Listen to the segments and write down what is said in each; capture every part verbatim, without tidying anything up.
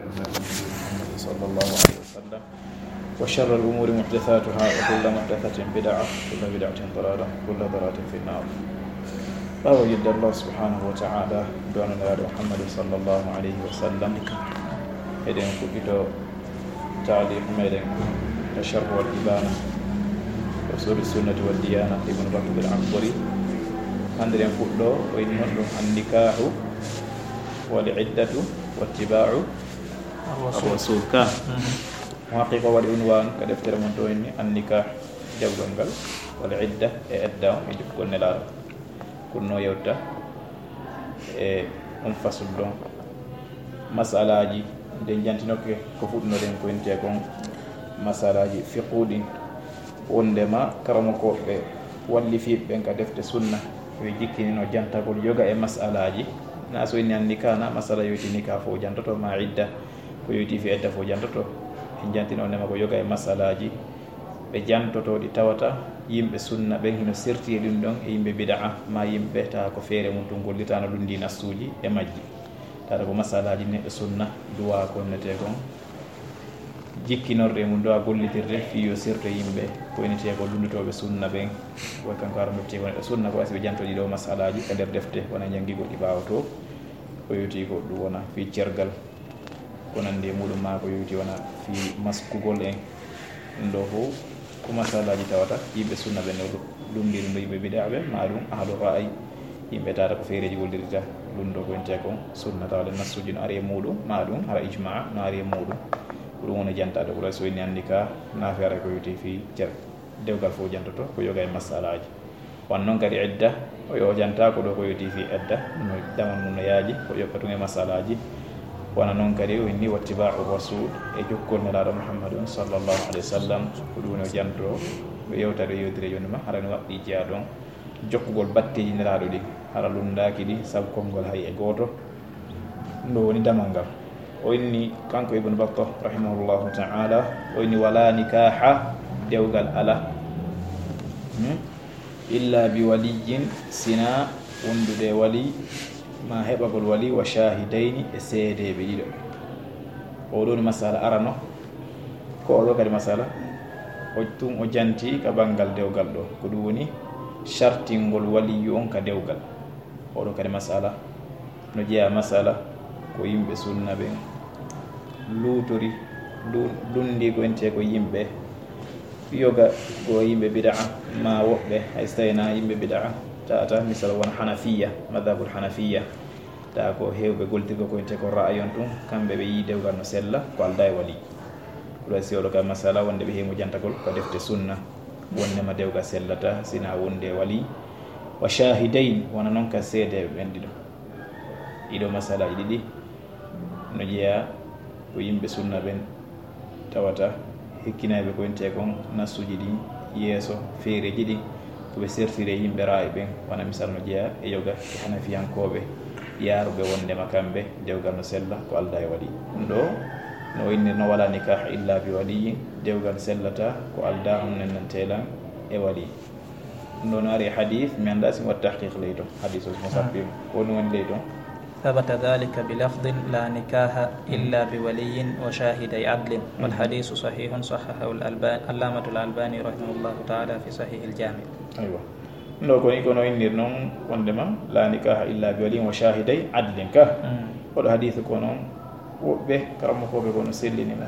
محمد صلى الله عليه وسلم، وشر الأمور محدثاتها، وكل محدثة بدعة، وكل بدعة ضلالة، وكل ضلالة في النار. Ɓaawo yidde Allah subhanahu wa ta'ala, du'ano Nelaaɗo Muhammad sallallahu alayhi wa sallam, eɗen fuɗɗito taaliq meɗen ka Sharh wal Ibana, Usuli Sunnati wad Diyana, Ibn Battah al Akbari. Hannde eɗen fuɗɗo, o inni honɗum: An-nikahu wal iddatu wattiba'u ar-rasul. Ar-rasul ka. Mhm. Mo haqiqa waɗi unwan ka deftere mon to, inni: An-nikah, dewgal ngal, wal idda, e edda on, e jokkugol Nelaaɗo. Ko ɗum o yewta e on fasul ɗon. Masalaaji ɗin jantinoke ko fuɗɗunoɗen ko intee kon masalaaji fiqhu ɗin. Wondema karamokooɓe wallifiiɓe ɓen ka defte sunna, ɓe jikkinino jantagol yoga e masalaaji. Na so inni an-nikah, na masala yoyti nikah fof jantoto, ma idda, ko yoyti fi edda fof jantoto. En jantino wondema ko yoga e masalaaji ɓe jantoto ɗi tawata yimɓe sunna ɓen hino serti e ɗum ɗon e yimɓe bida'a, ma yimɓe tawa ko feere mum tun gollitano lunndi nassuuji e majji. Tawata ko masalaaji neɗɗo sunna duwa ko wonnetee kon jikkinorɗe mum duwa gollitirde fii yo serto e yimɓe ko wonnetee ko lunndotooɓe sunna ɓen. Way kanko hara ndottee ko neɗɗo sunna ko wasi ɓe janto ɗi ɗo masalaaji ka nder defte wona janngigol ɗi ɓaawo to. Ko yowti ko ɗum wona fii cergal. Ko nandi e muɗum ma ko yowti wona fii maskugol en. Ɗum ɗo fof ko masalaaji tawata yimɓe sunna ɓen no lunndiri ɗum ɗo yimɓe bidaa ɓen, ma ɗum ahlu ra'ayi, yimɓe tawata ko feereeji gollirta lunndo ko intee kon sunna, tawa ɗen nassuuji no ari e muɗum, ma ɗum hara ijmaa no ari e muɗum. Ko ɗum woni jantaade ko ɗo so inni an-nikah, na feere ko yowti fii cer-, dewgal fof jantoto ko yoga e masalaaji. Wano non kadi idda, o yo janta ko ɗo ko yowti fii idda, no damal mum no yaaji, ko yoɓɓa tun e masalaaji. Wano non kadi o inni wattiba'u rasul, e jokkol Nelaaɗo Muhammadun sallallahu alayhi wa sallam, ko ɗum woni o janto, ɓe yewta ɗo yewtire jooni ma, hara no waɗɗi jeyaa ɗon jokkugol batteeji Nelaaɗo ɗin, hara lunndaaki ɗi sabu konngol hay e gooto. Ɗum ɗo woni damal ngal. O inni kanko Ibn Battah rahimahullahu ta'ala, o inni: Wala nikaha, dewgal ala. Hmm? Illa bi waliyyin, sina wondude e wali, ma heɓagol wali, wa shahidayni, e seedeeɓe ɗiɗo. O ɗo woni masala arano. Ko o ɗo kadi masala, o tun o janti ka banngal dewgal ɗo. Ko ɗum woni shartingol waliyu on ka dewgal. O ɗo kadi masala no jeyaa masala ko yimɓe sunna ɓen luutori, lu-, lunndi ko intee ko yimɓe yoga ko yimɓe bidaa, ma woɓɓe hay so tawii na yimɓe bidaa, tawata misal wona Hanafiya, madhabul Hanafiya, tawa ko heewɓe gollitirgol ko intee ko ra'ayi on tun, kamɓe ɓe yii dewgal no sella, ko aldaa e wali. Ko ɗo si o ɗo ka masala wonde ɓe heewi mo jantagol ko defte sunna, wondema dewgal sellata sina wonde e wali. Wa shahidayn, wona non ka seedeeɓe ɓen ɗiɗo. Ɗiɗo masalaaji ɗiɗi no jeyaa ko yimɓe sunna ɓen tawata hikkinayɓe ko intee kon nassuuji ɗin yeeso, feereeji ɗin ko ɓe sertiri e yimɓe ra'ayi ɓen, wona misal no jeyaa e yoga e Hanafiyankooɓe yaaruɓe wondema kamɓe dewgal no sella ko aldaa e wali. Ɗum ɗo no o inni no wala nikaha illa bi waliyyin, dewgal sellata ko aldaa on nennanteelan e wali. Ɗum ɗo no ari e hadith, mi anndaa si mi waɗi tahqiq ley ton. Hadith o si mo sappi mo. Ko ɗum woni ley ton. ثبت ذلك بلفظ لا نكاح إلا بولي وشاهدي عدل، والحديث صحيح صححه الألباني، العلامة الألباني رحمه الله تعالى في صحيح الجامع. Aywa. Ɗum ɗo ko ni kono innir non wondema la nikaha illa bi waliyin wa shahiday adlin ka. Mm. Oɗo hadith ko non woɓɓe karamokooɓe ko no sellini mo.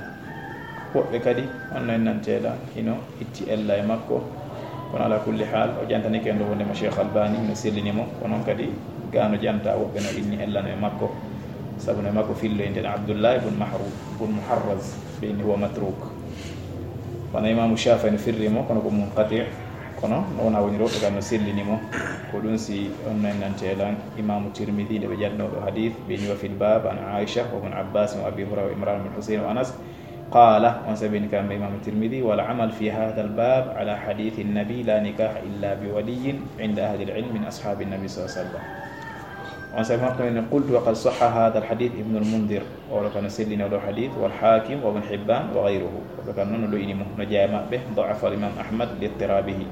Woɓɓe kadi on no en nanteeɗa hino itti ella e makko. Kono ala kulli haal, o jantanike en ɗo wondema Cheikh Albani no sellini mo. Ko non kadi gano janta woɓɓe no inni ella no e makko. Sabu no e makko fillo innde Abdullah ibn Mahru-, ibn Muharraz, ɓe inni huwa matruk. Wano Imaamu Shaafi'i no firri mo, kono ko munqati', kono no wona woni rewɓe kan no sellini mo. Ko ɗum si on no en nanteelan Imaamu Tirmidhi, nde ɓe jaɗnoo ɗo hadith, ɓe inni wa fil bab an Aisha wa ibn Abbas wa Abi Hurayra wa Imran bin Husayn wa Anas. Qala, on sabini kamɓe Imaamu Tirmidhi, wal amal fi hadha al bab ala hadithi nabi la nikaha illa bi waliyin inda ahli al ilm min ashabi nabi sallallahu alaihi wasallam. On sabi makko ne, qultu wa qad sahha hadha al hadith Ibn al Mundhir. Oɗo kan no sellini oɗo hadith, wal Hakim wa Ibn Hibban wa ghayruhu. Oɗo kan noon no ɗoyini mo, no jeyaa e maɓɓe, da'afa al Imam Ahmad li ittirabihi.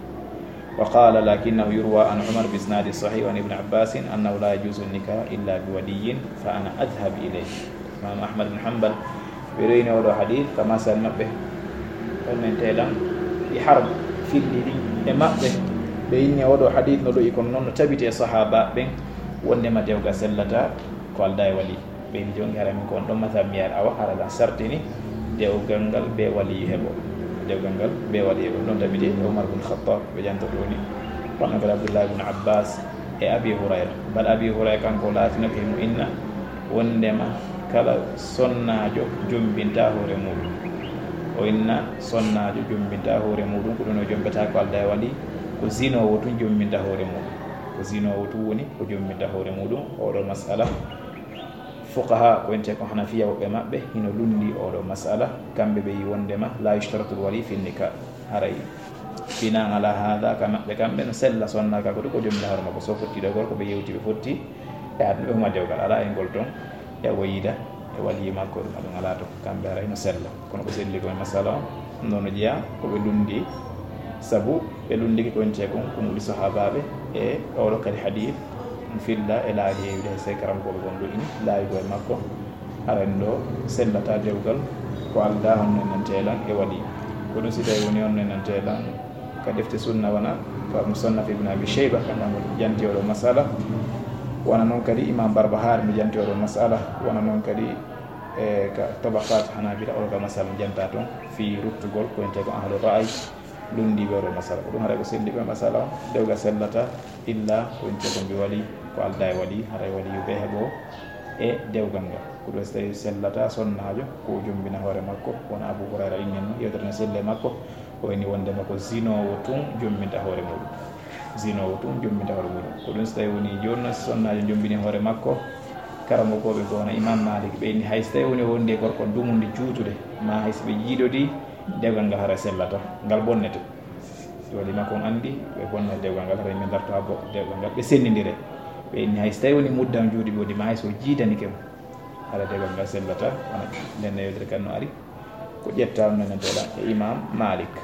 Wa qala lakinnahu yurwa an Umar bi isnadi sahih an Ibn Abbas annahu la yajuzu an nikah illa bi waliyyin, fa ana adhhab ilayhi. Imam Ahmad bin Hanbal Ɓe reyni oɗo hadith ka masal maɓɓe. On men telan ɗi haram filli ɗi e maɓɓe. Ɓe inni oɗo hadith no ɗoyi, kono noon no tabiti e sahaba ɓen wondema dewgal sellata ko alda e wali. Ɓe inni jongi hara min ko on ɗon masal mi yaar awa hara lan sartini dewgal ngal be wali heɓo. Dewgal ngal be wali heɓo. Ɗon tabiti e Umar bin Khattab ɓe jantoto woni. Kono kadi Abdullah bin Abbas e Abi Hurayra. Bal Abi Hurayra kanko laatino ke mo inna wondema kala sonnaajo jombinta hoore muɗum. O inna sonnaajo jombinta hoore muɗum, ko ɗum o jombata ko alda e wali, ko zinoowo tun jombinta hoore muɗum. Ko zinoowo tun woni ko jombinta hoore muɗum. Oɗo masala, fuqaha ko ente ko Hanafiya woɓɓe maɓɓe hino lundi oɗo masala, kamɓe ɓe yi wondema la yushtaratul wali fi nikah. Haray binan ala hada ka maɓɓe kamɓe no sella sonna ka ko ɗum ko jombinta hoore makko. So fotti ɗo gorko ɓe yewti ɓe fotti e aduna ɓe huma dewgal ala e ngol ton e o yiida e waliyi makko ɗum aɗum ala to kamɓe haray no sella. Kono ko selli ko e masala on nono jeeya ko ɓe lundi, sabu ɓe lundiki ko ente kon ko muɗi sahabaɓe e oɗo kadi hadith mo filla e laawi heewide hay sey karamkoɓe gon ɗo ini laawi ko e makko. Haray ɗo sellata dewgal ko alda honno nantelan e wali. Ko ɗum si tawi woni honno nantelan ka defte sunna wona ka musannaf ibn abi shayba kanko mo janti oɗo masala. Wona noon kadi imam barbahar mi janti oɗo masala. Wona noon kadi e ka tabaqat hanabila oɗo ka masala janta toon fi ruttugol ko ente ko ahlu ra'ay. Lundiɓe oɗo masala ko ɗum haray ko selliɓe masala on dewgal sellata illa ko ente ko mbi wali ko alda e wali haray wali yuɓe heɓo e dewgal ngal. Ko ɗum so tawi sellata sonnaajo ko o jombina hoore makko. Wona Abu Hurayra inni no yewtere no selle makko o inni wondema ko zinoowo tun jombinta hoore muɗum. Zinoowo tun jombinta hoore muɗum. Ko ɗum so tawi woni jooni no sonnaajo jombini hoore makko. Karamokooɓe ko wona Imam Malik ɓe inni hay so tawi woni o wondi e gorko dumunde juutude ma hay so ɓe jiidodi dewgal ngal hara sellata ngal bonnete. Wali makko on anndi ɓe bonna dewgal ngal hara min darto ha bo dewgal ngal ɓe sennindire. Ɓe inni hay so tawi woni muddan juuɗe ɓe woni ma hay so jiidanike mo hara dewgal ngal sellata. Wona nden newedere kan no ari ko ƴetta on nananteɗa e Imam Malik.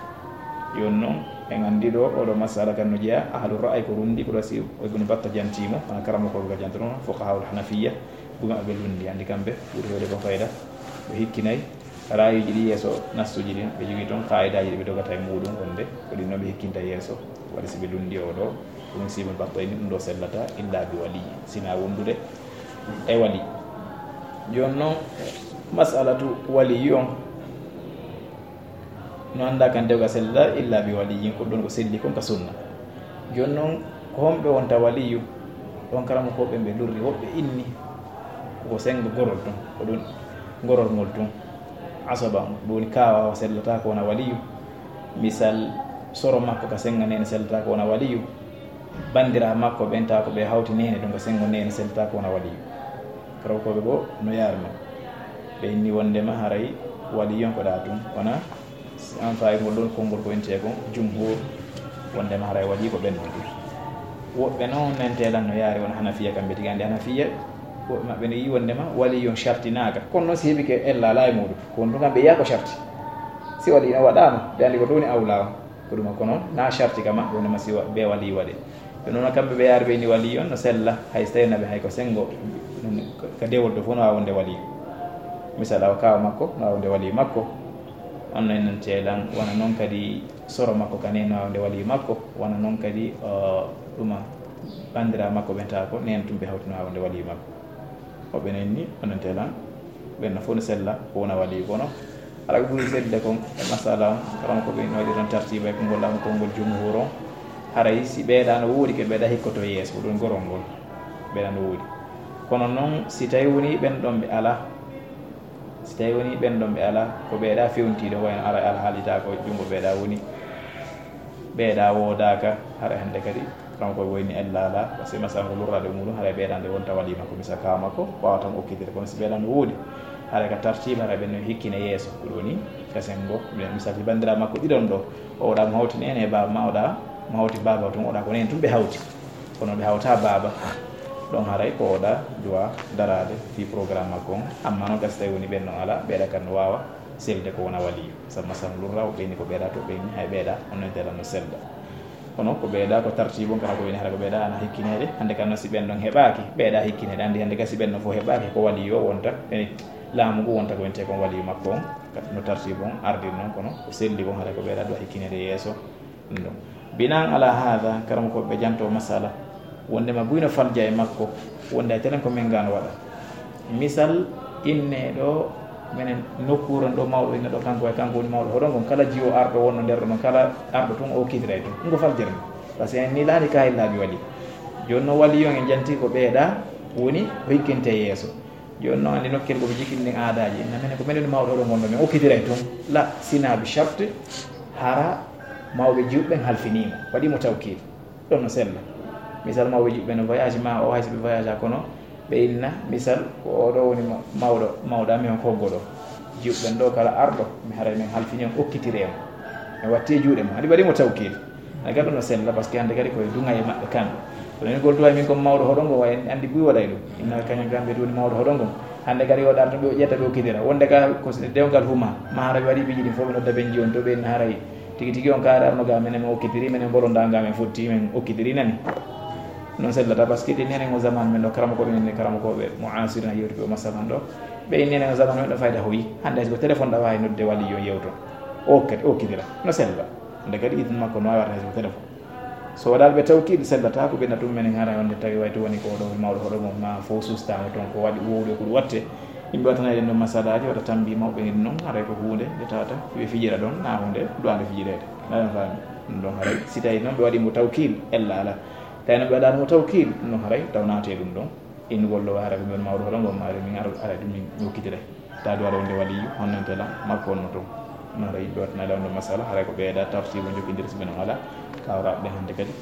Yon noon en anndi ɗo oɗo masala kan no jeeya ahlu ra'ay ko rundi ko ɗo si Ibnu Batta jantimo wona karamokooɓe ka jantono fuqahaul hanafiya. Ɗum aɓe lundi anndi kamɓe ɓuri hewde ko fayda ɓe hikkinay. Raayuuji ɗi yeeso nassuuji ɗin ɓe jogii toon qaayidaaji ɗi ɓe dogata e muuɗum wonde ko ɗin noon ɓe hikkinta yeeso. Waɗi si ɓe lunndi oo ɗoo ɗum siibol baɗɗo e ni ɗum ɗoo sellata illa bi waliyi sinaa wondude e wali. Jooni noon masalatu waliyi on no anndaa kan dewga sellata illa bi waliyi ko ɗum ko selli kon ka sunna. Jooni noon ko homɓe wonta waliyu? Ɗon karamokooɓe ɓe lurri woɓɓe inni koko senngo gorol tun ko ɗum gorol ngol tun. Asaba on ɗum woni kaawa o sellata ko wona waliyu. Misal soro makko ka senngo neene sellata ko wona waliyu. Banndiraa makko ɓen tawa ko ɓe hawti neene ɗum ko senngo neene sellata ko wona waliyu. Karamokooɓe goo no yaari noon ɓe inni wonndema haray waliyu on ko ɗa tun wona. En fayi ngol ɗon konngol ko intee kon jumhur wonndema haray waɗi ko ɓen ɗon. Woɓɓe noon nentee lan no yaari wona hanafiya kamɓe tigi anndi hanafiya woɓɓe maɓɓe no yi wonndema wali yon shartinaaka kono noon si heɓike ella ala e muɗum ko won ɗum kamɓe yiya ko sharti. Si wali no waɗaama ɓe anndi ko ɗum woni awla on ko ɗum ko noon na sharti ka maɓɓe wonndema si be wali waɗe. Ɓe noon kamɓe ɓe yaari ɓe ni wali on no sella hay so tawi naɓe hay ko senngo ka dewol to fof no waawi wonde wali. Misal awa kaawa makko no waawi wonde wali makko. On no en nantee lan wona noon kadi soro makko kane no waawi wonde wali makko wona noon kadi ɗuma banndiraa makko ɓen tawa ko neen tum ɓe hawti no waawi wonde wali makko. Woɓɓe no inni on nantee lan ɓen no fof no sella ko wona wali kono ala ko ɓuri selde kon e masala on karamokooɓe no waɗi tan tartiba e konngol am konngol jumhur on. Haray si ɓeeɗa no woodi ke ɓeeɗa hikkoto yeeso ko ɗum gorol ngol ɓeeɗa no woodi. Kono noon si tawi woni ɓen ɗon ɓe ala si tawi woni ɓen ɗon ɓe ala ko ɓeeɗa fewntiiɗo wayno ara alhaalita ko junngo ɓeeɗa woni ɓeeɗa woodaaka. Hara hannde kadi kanko e woyni ella ala par ce que masala ko lurraade e muɗum haray ɓeeɗa nde wonta wali makko misa ka makko wawata mo okkitede kono si ɓeeɗa no woodi haray ka tartiba haray ɓen no hikkine yeeso ko ɗum woni ka senngo. Misal si banndiraa makko ɗiɗon ɗo oɗa mo hawti nene e baaba ma oɗa mo hawti baaba tun oɗa ko nen tun ɓe hawti. Kono ɓe hawta baaba ɗon haray ko oɗa duwa daraade fi programme makko on. Amma noon gasi tawi woni ɓen no ala ɓeeɗa kan no waawa selde ko wona waliyu sabu masal lurra o ɓeyni ko ɓeeɗa to ɓeyni hay ɓeeɗa on no ntelan no sella. Kono ko ɓeeɗa ko tartibu on kana ko woni hara ko ɓeeɗa ana hikkineede hannde kan no si ɓen ɗon heɓaaki ɓeeɗa hikkineede anndi hannde gasi ɓen no fof heɓaaki ko waliyu o wonta ene laamu ngu wonta ko wiyetee kon waliyu makko on, no tartiibu on ardiri non, kono ko selli kon haray ko ɓeyda ɗo hikkineede yeeso. Ɗum ɗon. Binaan ala haada, karamokooɓe ɓe janto masala, wonndema buy no falja e makko, wonnde a telen ko men gano waɗa. Misal, inne ɗo, menen nokkuure ɗo mawɗo inne ɗo, kanko e kanko woni mawɗo hoɗo ngon, kala jiwo arɗo wonno nder ɗo ɗon, kala arɗo tun o okkitiray tun. Ɗum ko faljere nde. Par ce que en miilaani kaayillaaji wali. Jooni noon wali yon en janti ko ɓeyda woni ko hikkinte yeeso. Jooni noon anndi nokkel ko ɓe jikini ɗin aadaaji. Inna menen ko menen mawɗo hoɗo ngon ɗo, men okkitiray tun. La, sina bi charte, hara mawɓe juuɓe ɓen halfiniima. Waɗi mo tawkiil. Ɗon no sella. Misal mawɓe juuɓe no voyage ma o, hay so ɓe voyage a kono, ɓe inna, misal, ko oɗo woni ma-, mawɗo, mawɗo amen on ko goo ɗo. Juuɓe ɓen ɗo kala arɗo, mi haray men halfini on okkitire mo. Men watti e juuɗe mo. Haɗi waɗi mo tawkiil. Ay, kadi no sella, par ce que hannde kadi koye duŋa e maɓɓe kamɓe. Kono ni gol duwa min ko mawɗo hoɗo ngo, way anndi buy waɗay ɗum. Inna kañum kamɓe ɗum woni mawɗo hoɗo ngo. Hannde kadi o ɗarta ɓe, o ƴetta ɓe okkitira. Wonde ka ko s-, dewngal huma, ma hara ɓe waɗi piiji ɗin fof ɓe nodda ɓe jiwon to ɓe inna haray. Tigi tigi on kaari arno ga menen okkitiri, menen bolonda ga men fotti, men okkitiri nani. Non sellata, par ce que ɗin nenen o zaman men ɗo, karamokooɓe men, karamokooɓe mo asirina yewtuɓe o masalan ɗo. Ɓe nenen o zaman men ɗo fayda hoyi. Hannde hay so ko téléphone ɗa wawi nodde wali yo yewto. Okkit-, okkitira. No sella. Nde kadi idin makko no wawi warta hay so ko téléphone. So waɗaali ɓe tawkiid sellata ko ɓe na ɗum menen hara wonde tawi way to woni ko ɗo mawɗo hoɗo mo ma fof sustama toon ko waɗi wowde ko ɗum watte. Yimɓe watanay ɗen ɗon masalaaji, wata tambi mawɓe en noon, haray ko huunde nde tawata ɓe fijira ɗon, na huunde duwaande fijireede. Aɗa faami? Ɗum ɗon haray, si tawi noon ɓe waɗi mo tawkiil, ella alaa. Tawi noon ɓe waɗaani mo tawkiil, ɗum ɗon haray taw naatee ɗum ɗon. In gollo haray ko min mawɗo hoɗo ngo maari, min ara, haray ɗum min okkitiray. Tawi waɗa wonde waliyu, honno tela, makko on no toon. Ɗum haray yimɓe watanay ɗon ɗon masala, haray ko ɓeyda tartiibu jokkindir si ɓe noon alaa. Kawraɓe ɓen hannde kadi.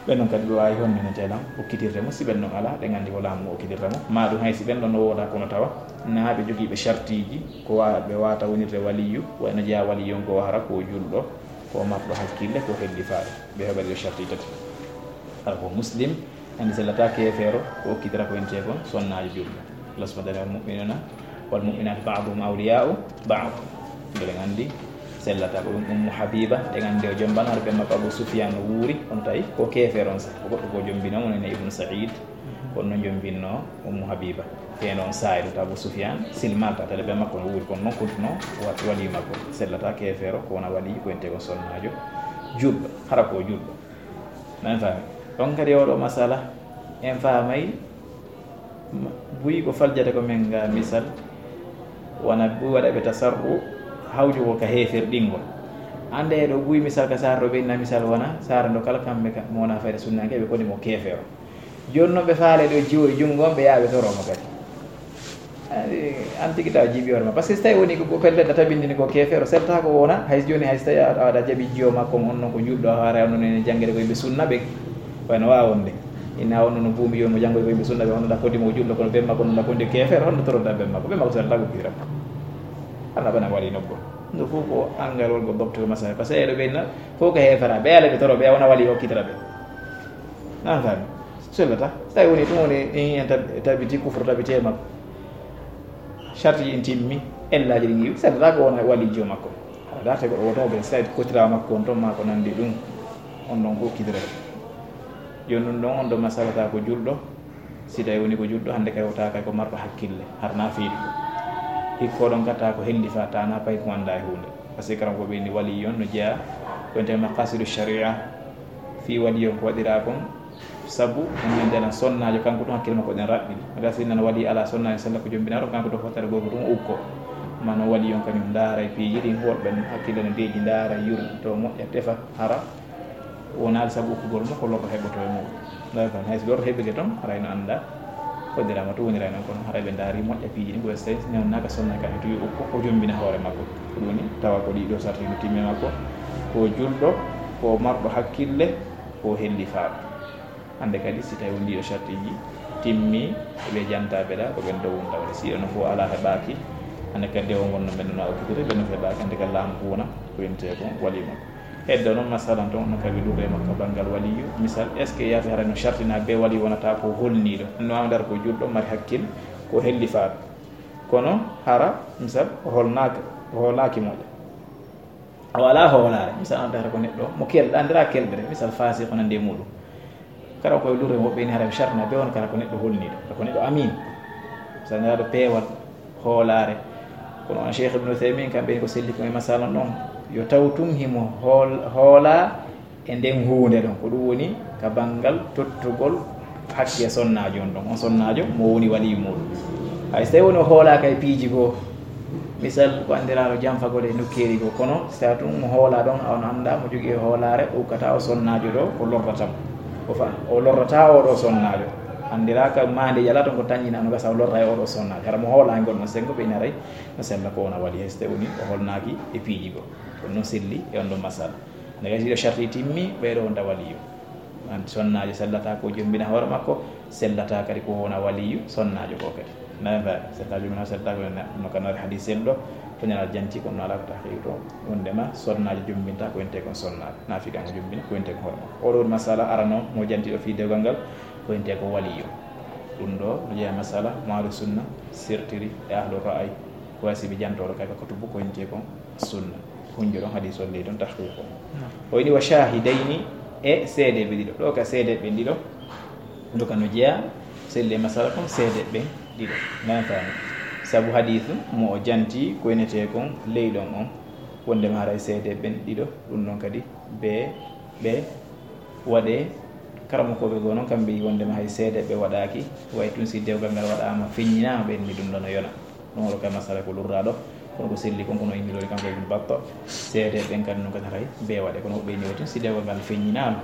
Ɓen noon kadi ɓe waawi honno tela, okkitirde mo, si ɓen noon alaa, ɓe nganndi ko laamu ngu okkitirta mo. Ma ɗum hay si ɓen ɗon no wooda kono tawa, na ɓe jogiiɓe shartiiji, ko wa-, ɓe waawata wonirde waliyu, wayno jeyaa waliyu on ko hara ko julɗo, ko marɗo hakkille, ko hellifaaɗo. Ɓe heɓa ɗiɗo sharti tati. Hara ko muslim, anndi sellata keefeero, ko okkitira ko entee kon sonnaajo julɗo. Allah subhanahu wa ta'ala, "Wal mu'minuna wal mu'minatu ba'duhum awliya'u ba'd." Mbeɗen anndi sellata ko ɗum Ummu Habiba, ɗen anndi o jombano, hara ɓen makko Abu Sufyan no wuuri, kono tawi ko keefeero on sah, ko goɗɗo ko jombino, mo nene Ibnu Sa'id, kono no jombinno Ummu Habiba. Ɓeen on saa'i ɗo to Abu Sufyan silmalta, tele ɓe makko no wuuri, kono noon kontuno wa-, waliyu makko. Sellata keefeero, ko wona waliyu, ko entee kon sonnaajo julɗo, hara ko julɗo. Nan faami? Ɗon kadi oɗo masala, en faamay, ma-, buy ko faljata ko men nga misal, wona buy waɗa ɓe tasarru, hawju ko ka heeferɗingol. Annde ɗo buy misal ka saara ɗo ɓe inna misal wona, saara ndo kala kamɓe ka, mo wona fayda sunnaanke, ɓe koni mo keefeero. Jooni noon ɓe faale ɗo jiwo e junngo on, ɓe yaha ɓe toro mo kadi. Ay, an tigi tawa jiiɓi hoore ma. Par ce que so tawi woni ko pellet a tabindini ko keefeero, selta ko wona, hay so jooni hay so tawi a, a, aɗa jaɓi jiwo makko on, on noon ko julɗo, a haara on noon ene janngere ko yimɓe sunna ɓen. Wayno waawa wonde. Inna on noon buumi yo mo janngoy ko yimɓe sunna ɓen, on noon ɗa koddi mo ko julɗo, kono ɓen makko noon ɗa koddi keefeero, honno toroɗa ɓen makko? Ɓen makko selta ko kiram. Alla bana wali nobbo. Ɗum fof ko angal won ko bobto masala. Par ce que eɗo ɓe inna fof ko heefera. Ɓe ala ɓe toro, ɓe wona wali okkitira ɓe. Nan faami? Sellata. So tawi woni ɗum woni, in en tab-, tabiti kufru tabiti e makko. Sarti in timmi, ellaaji ɗin iwi, sellata ko wona walijo makko. Haɗa darta goɗɗo woto ɓe, so tawi kotira makko on ton ma ko nandi ɗum, on ɗon okkitira. Jooni ɗum ɗon on ɗo masalata ko julɗo, si tawi woni ko julɗo, hannde kay wota kay ko marɗo hakkille, harna fiiɗo. Hikko ɗon kata ko hellifa, tana pay ko annda e huunde. Par ce que karam ko ɓe ni waliyo on no jeyaa ko ente maqasidu sharia. Fii waliyo ko waɗiraa kon, sabu on min ndena sonnaajo, kanko ɗum hakkille makko ɗen raɓɓiɗi. Aga si nana wali ala sonnaajo sella ko jombinaaɗo, kanko ɗo fottata gooto ɗum ukko. Ma no waliyo on kañum ndaara e piiji ɗin, worɓe hakkille no deeƴi, ndaara, yurmi, to moƴƴa, tefa, hara wonaali sabu ukkugol mo, ko lorɗo heɓoto e muɗum. Ndaara tan, hay so lorɗo heɓike ton, haray no annda. Hoddiraama to wonira noon, kono haray ɓe ndaari moƴƴa piiji ɗi, ko so tawi newnaaka sonna ka e tuwi o, o jombina hoore makko. Ko ɗum woni tawa ko ɗiɗo sarti no timmi makko, ko julɗo, ko marɗo hakkille, ko hellifaaɗo. Hannde kadi, si tawi won ɗiɗo sartiiji timmi, ɓe jantaaɓe ɗa, ko ɓen dow won tawde. Si ɗo no fof alaa heɓaaki, hannde kadi, dewo ngon no men no okkitiri, ɓe no heɓaaki, hannde kadi laamu ko wona, ko yimte ko wali makko. Heddo noon, masalan, toon no kawi luure makko banngal waliyu. Misal, est-ce que yaata hara no sartina be wali wonata ko holniiɗo? No andar ko julɗo, mari hakkil, ko hellifaaɗo. Kono hara, misal, o holnaaka, o hoolaaki moƴƴa. O alaa hoolaare. Misal, andar ko neɗɗo mo kel-, andira kelɓere. Misal, faasiq ko nandi e muɗum. Kala koye luure woɓɓe ni hara sartina be won kala ko neɗɗo holniiɗo. Kala ko neɗɗo amin. Misal, nelaɗo peewal. Hoolaare. Kono on Cheikh Ibn Uthaymin, kamɓe ko selli ko e masala ɗon, yo taw tun himo hool-, hoolaa e nden huunde ɗon. Ko ɗum woni ka banngal tottugol hakke sonnaajo on ɗon. On sonnaajo mo woni waliyu muuɗum. Hay so tawi woni o hoolaaka e piiji goo, misal ko anndiraaɗo janfagol e nokkeeli goo, kono si tawi tun mo hoolaa ɗon, a on anndaa mo jogii e hoolaare, o ukkata o sonnaajo ɗo, o lorrata mo. O fa-, o lorrata o ɗo sonnaajo. Anndiraa ka maande yalaa ton ko tanƴinaa no gasa o lorra e o ɗo sonnaajo. Hara mo hoolaa e ngol ɗon senngo ɓe ina rey. No sella ko wona wali, hay so tawi woni o holnaaki e piiji goo. Ɗum noon selli e on ɗon masala. Nde gasi ɗo sharti timmi, ɓeeɗo wonta waliyu. An sonnaajo sellata ko jombina hoore makko, sellata kadi ko wona waliyu sonnaajo ko kadi. Nana faami, sellata jombina, sellata ko ne-, no ka noore hadis selɗo, ko ñalal janti, kono no alaa ko tahqiq to. Wondema sonnaajo jombinta ko ente kon sonnaajo. Naafiqango jombina ko ente kon hoore makko. Oɗo masala arano mo janti ɗo fii dewgal ngal, ko ente ko waliyu. Ɗum ɗo no jeyaa masala mo ahlu sunna sirtiri e ahlu ra'ayi. Ko wasibi jantooɗo kay ko tubu ko ente kon sunna. Hunjo ɗon hadis on ley ɗon tahqiq on. Naam. O ini wa shahidayni, e seedeeɓe ɗiɗo. Ɗo ka seedeeɓe ɗiɗo, ɗo ka no jeyaa, selle masala kon seedeeɓe ɗiɗo. Nana faami. Sabu hadis mo o janti ko enetee kon ley ɗon on. Wondema haray seedeeɓe ɗiɗo, ɗum ɗon kadi be, ɓe waɗee. Karamokooɓe goo noon, kamɓe yi wondema hay seedeeɓe waɗaaki, way tun si dewgal ngal waɗaama, feññinaama, ɓe inni ɗum ɗon no yona. Ɗum oɗo kay masala ko lurraaɗo, kono ko selli kon, kono innirori kanko Ibn Battah, seedeeɓe ɓen kadi noon kadi haray bee waɗe, kono woɓɓe inni way tun si dewgal ngal feññinaama,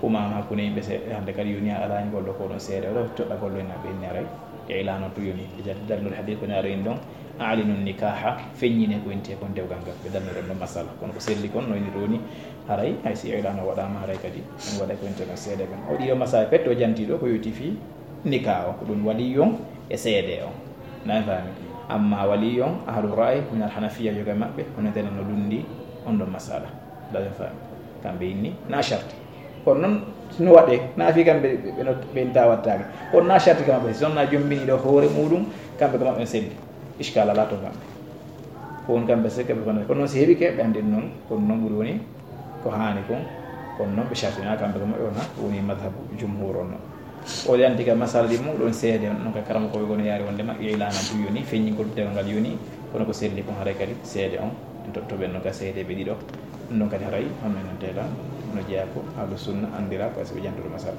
umaama hakkunde yimɓe seeɗa, hannde kadi yoni a alaani golɗo ko ɗon seede, oɗo toɗɗa golɗo ina ɓe inni haray, e ilaano tun yoni, e jaddi darnol hadis ko ne aɗo inni ɗon, "A'linu nikaha", feññine ko inti kon dewgal ngal, ɓe darnori ɗon masala, kono ko selli kon no inniri woni, haray, hay si ilaano waɗaama, haray kadi, ɗum waɗa ko inti kon seede ɓen. O ɗiɗo masala pet o janti ɗo, ko yowiti fii nika o, ko ɗum waliyu on e seede on. Nana faami? Amma waliyu on, ahlu ra'ayi, min al hanafiya, yoga maɓɓe, hono tenen no lundi on ɗon masala. Nana faami? Kamɓe inni, na sharti. Kono noon, no waɗee, na fii kamɓe, ɓe, ɓe, ɓe, ɓe inta wattaake. Kono na sharti kamɓe, si on na jombini ɗo hoore muuɗum, kamɓe ko maɓɓe selli. Iskal alaa to kamɓe. Ko woni kamɓe se kamɓe kono, kono noon si heɓike, ɓe anndi ɗum noon, kono noon ɓuri woni ko haani kon, kono noon ɓe shartina kamɓe ko maɓɓe wona, woni madhabu jumhur on noon. O yanti ka masala ɗi mum ɗon seede on, noon ka karamokooɓe gono yaari wondema ilaana tun yoni, feññingol dewgal yoni, kono ko selli kon haray kadi seede on, en totto ɓen noon ka seedeeɓe ɗiɗo. Ɗum ɗon kadi haray, hono en teela, no jeyaa ko ahlu sunna anndira ko asiɓe jantude masala.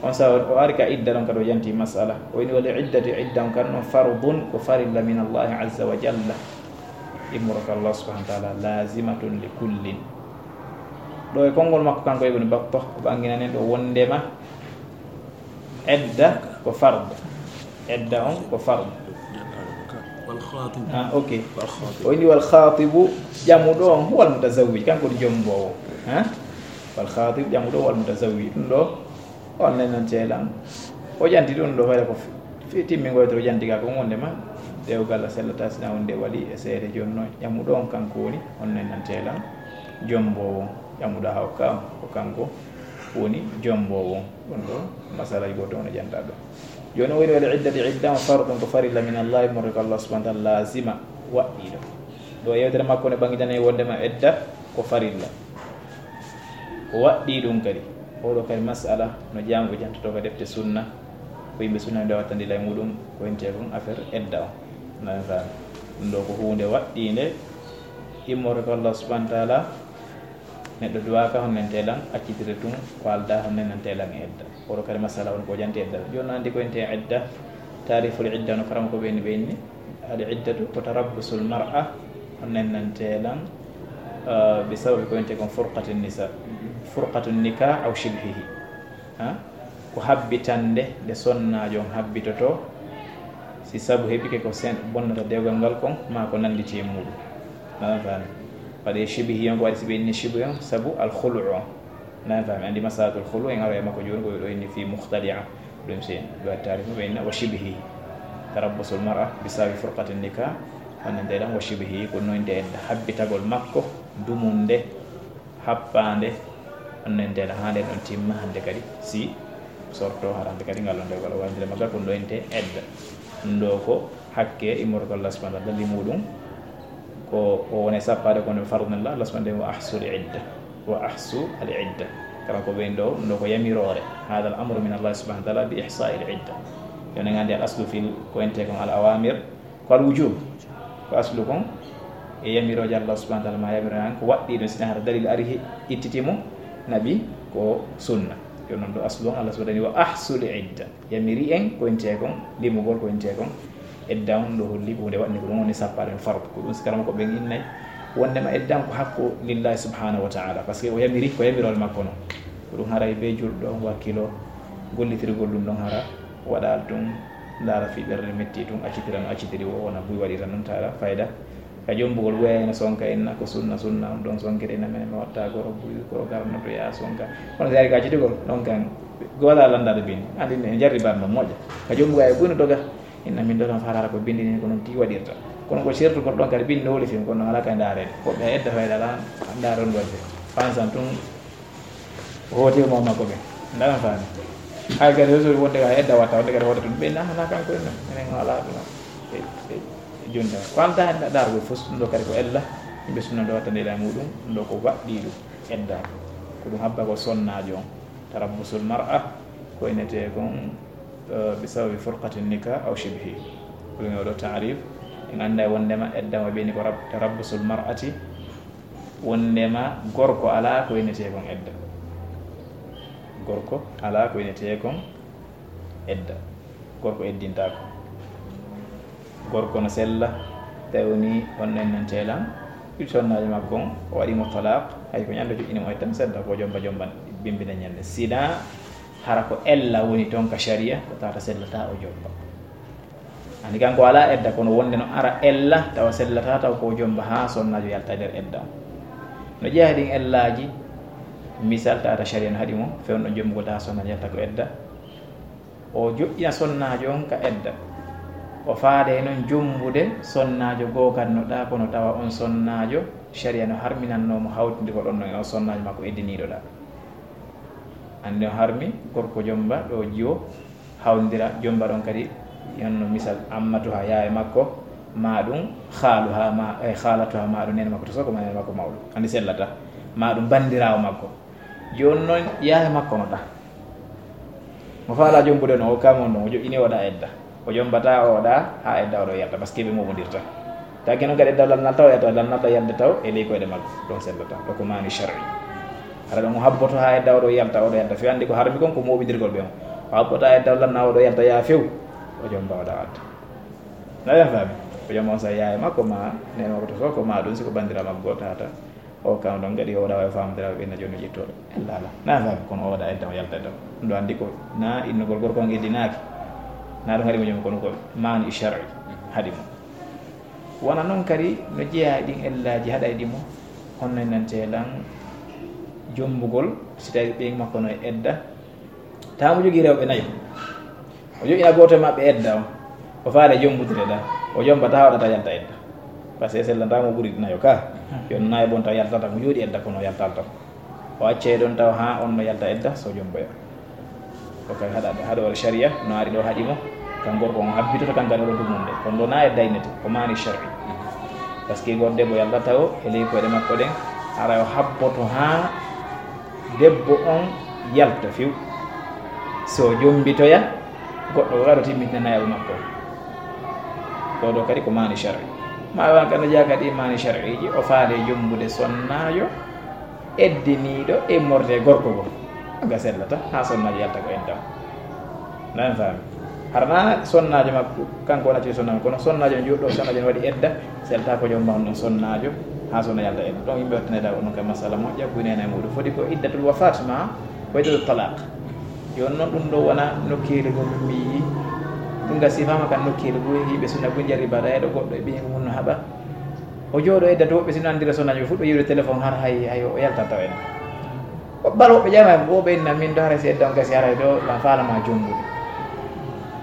On sa o ari ka idda ɗon kadi o yanti masala. O ini wal iddatu, idda on kan noon fardun, ko farilla min Allahi azza wa jalla. Immoraka Allah subhanahu wa ta'ala, lazimatun li kullin. Ɗo e konngol makko kanko Ibn Battah, o ɓanginanen ɗo wondema edda ko fardu. Edda on ko fardu. Ah, ok. O inni wal khatibu, ƴamuɗo on, huwal mutazawwij, kanko woni jomboowo. Ha? Wal khatibu, ƴamuɗo on, huwal mutazawwij. Ɗum ɗo, on nenanteelan. O ƴanti ɗum ɗo, fayda ko fi-, fi-, timmingoyto o ƴanti ka ko wondema, dewgal a sellata sina wonde wali e seede jonno. Ƴamuɗo on kanko woni, on nenanteelan. Jomboowo, ƴamuɗo hawka on, ko kanko woni jomboowo. Ɗum ɗo, masala e gooto on e ƴanta ɗo. Jooni o woni wal iddati, idda on fardun ko farilla min Allah, morre ko Allah subhanahu wa ta'ala lazima, waɗɗiiɗo. Ɗo yewtere makko ne ɓangitanee wondema edda ko farilla. O waɗɗii ɗum kadi. Oɗo kadi masala no jaamuɓe jantoto ka defte sunna. Ko yimɓe sunna nde wattandi lay muɗum ko intee kon affaire edda on. Nana faami. Ɗum ɗo ko huunde waɗɗiinde immorde ko Allah subhanahu wa ta'ala. Neɗɗo duwaaka honnentee lan, accitire tun ko aldaa honnenantee lan e edda. Oɗo kadi masala on ko janti edda. Jooni no anndi ko intee edda, taariful idda no karamokooɓe ɓe inni. Al iddatu ko tarabbusul mar'a, honnenantee lan, ah, bi sababi ko intee kon furqatun nisa, furqatun nikah aw shibhihi. Ha? Ko habbitannde nde sonnaajo on habbitotoo, si sabu heɓike ko sen-, bonnata dewgal ngal kon, maa ko nannditi e muuɗum. Nana faami? Waɗee shibihi on, ko waɗi si ɓe inni shibihi on, sabu al khulu on. Nana faami? Anndi masalatul khulu, en aroya e makko jooni, ko ɗo inni fii mukhtali'a. Ɗum si en ɗo taarif mo, ɓe inna wa shibihi. Tarabbusul mar'a bi sababi furqatin nikah, hannde nde ɗan wa shibihi, ko noynde en habbitagol makko, dumunde, happaande, on nentela haa nden ɗon timma hannde kadi, si sorto hara hannde kadi ngal ɗon dewgal o wandira magal ko ɗo ente edda. Ɗum ɗo ko hakke immorgo Allah subhanahu wa ta'ala dalli muɗum ko o woni sappaade kono fardun la Allah subhanahu wa ahsul idda, wa ahsu al idda. Kala ko ɓen ɗo, ɗum ɗo ko yamiroore. Hada al amru min Allah subhanahu wa ta'ala bi ihsa'i al idda. Yo ne nganndi al aslu fil ko ente kon al awamir, Wal wujub, ko aslu kon e yamirooje Allah subhanahu wa taala, ma yamiro en ko waɗɗii ɗum, sina hara dalil ari he-, ittiti mo, naɓi ko sunna. Yo non ɗo aslu on Allah subhanahu wa taala wa ahsul idda. Yamiri en ko intee kon, limugol ko intee kon edda on, ɗo holli ko hunde waɗni ko ɗum woni sappaade on fardu. Ko ɗum sikara makko ɓen innay wondema edda on ko hakku lillahi subhanahu wa taala, parce que o yamiri ko yamiroore makko non. Ko ɗum haray be julɗo on wakkilo gollitirgol ɗum ɗon hara waɗal ɗum, ndaara fii ɓernde metti tun, accitira no accitiri wo, wona buy waɗira non taala fayda. Ka jombugol weyayno sonka inna ko sunna, sunna on ɗon sonkiri ina men mi watta goro buy, goro garnoto ya sonka. Kono si ari ka accitugol ɗon kan, goda landade bindi. Andi ne jarri barno moƴƴa. Ka jombuga e buy no doga. Inna min ɗo tan farara ko bindi ni ko non ti waɗirta. Kono ko sertugol ɗon kadi bindi no woli fin, kono ala ka ndaarede. Ko ɓe edda fayda la ndaron wadde. Fansan tun o hooti mo makko ɓe. Ndaran faami. Hay kadi so wonde ka edda watta, wonde kadi hoota tun. Ɓe na, na kanko en, enen ala ɗum. E, e, jonta. Ko anta hannde dargol fof ɗum ɗo kadi ko ella. Yimɓe sunna ɗo wattande ila muɗum, ɗum ɗo ko waɗɗi ɗum edda. Ko ɗum habba ko sonnaajo on. Tarabbusul mar'a, ko inete kon, eh, bi sababi furqatin nikah aw shibhi. Ko ɗum o ɗo taarif. En annda wondema edda mo ɓeni ko rab-, tarabbusul mar'ati, wondema gorko alaa ko inetee kon edda. Gorko alaa ko inetee kon edda. Gorko eddintaako. Gorko no sella, tawi woni on nennanteelan, ɗi sonnaajo makko on, o waɗi mo talaq, hay ko ñande joƴƴini mo e tan sedda, ko jomba jomban, bimbina ñande. Sina hara ko ella woni toon ka sharia, ko tawata sellata o jomba. Andi kanko alaa edda, kono wonde no ara ella, tawa sellata, taw ko jomba haa sonnaajo yalta e nder edda on. No jeyaa e ɗin ellaaji, misal tawata sharia no haɗi mo, fewndo jombugol tawa sonnaajo yalta ko edda. O joƴƴina sonnaajo on ka edda. O faade noon jombude sonnaajo goo kan no ɗaa, kono tawa on sonnaajo sharia no harminannoo mo hawtinde ko ɗon non e on sonnaajo makko eddiniiɗo ɗaa. Andi no harmi gorko jomba ɗo jiwo, hawndira jomba ɗon kadi, honno misal ammatuha yaaye makko, ma ɗum khaaluha ma, eh, khaalatuha ma ɗum nene makko to soko ma nene makko mawɗo. Andi sellata. Ma ɗum bandiraawo makko. Jooni noon yaaye makko no ɗaa. Mo faala jombude no o kama on ɗon, o joƴƴini o ɗaa edda. O jombata o ɗaa haa edda o ɗo yalta, parce que ɓe moɓondirta. Tagi noon kadi edda lannal taw, edda lannal ɗa yalde taw, e ley koyɗe makko, ɗon sellata. Ɗo ko maani shar'i. Hara ɗon o habboto haa edda o ɗo yalta, o ɗo yalta. Fi andi ko harmi kon ko moɓindirgol ɓe on. O habbota edda lanna o ɗo yalta yaa few. O jomba o ɗaa adda. Na ɓen faami? O jomba on sa yaaye makko ma, nene makko to so ko ma ɗum, si ko bandira makko goo tata. O kam ɗon kadi o waɗa wawi famdira ɓe na joni ƴettoɗo. Ella ala. Na faami kono o waɗa edda o yalta edda. Ɗum ɗo andi ko na innugol gorko on eddinaaki. Na ɗum haɗi mo jom kono ko maani shar'i haɗi mo. Wona noon kadi no jeyaa e ɗin ellaaji haɗayɗi mo. Honno nante lan jombugol si tawi ɓeyn makko no e edda. Tawa mo jogii rewɓe nayo. O joƴƴina gooto e maɓɓe edda on. O faale jombude ɗa. O jomba tawa ɗa taw yalta edda. Parce que sellanta mo ɓuri nayo ka. Yon nayo bon taw yaltata mo jooɗi edda kono yaltal taw. O accay ɗon taw haa on no yalta edda so jomboya. Ko kay haɗa, haɗa wala sharia no ari ɗo haɗi mo. Kan gorko on habbitoto kan gano ɗo dumunde. Kono ɗo na edda inete. Ko maani shar'i. Parce que gor debbo yaltata o e ley koyɗe makko ɗen. Ara o habboto haa debbo on yalta few. So jombitoya, goɗɗo ko kadi o timmitina nayaɓo makko. Ɗo ɗo kadi ko maani shar'i. Ma wan kadi no jeyaa kadi maani shar'iji, o faale jombude sonnaajo eddiniiɗo e morde gorko go. Nga sellata, haa sonnaajo yalta ko edda. Nan faami. Harana sonnaajo makko, kanko wona ci sonnaajo, kono sonnaajo on joɗɗo, sonnaajo on waɗi edda, selta ko jom mahon ɗon sonnaajo, haa sonna yalta edda. Donc yimɓe wattanede on ka masala moƴƴa, buy nena e muɗum. Foti ko iddatul wafat ma, ko iddatul talaq. Jooni noon ɗum ɗo wona nokkeeli goo min mi yii. Ɗum ga sifama kan nokkeeli goo, yimɓe sunna goo jari baɗa e ɗo goɗɗo e ɓiyingu mum no haɓa. O jooɗo edda to woɓɓe sino anndira sonnaajo, ɓe fuɗɗo yiwde téléphone har hay, hay o yalta taw en. Bal woɓɓe ƴama, woɓɓe inna min ɗo haray si edda on gasi haray ɗo, ma faalama jombude.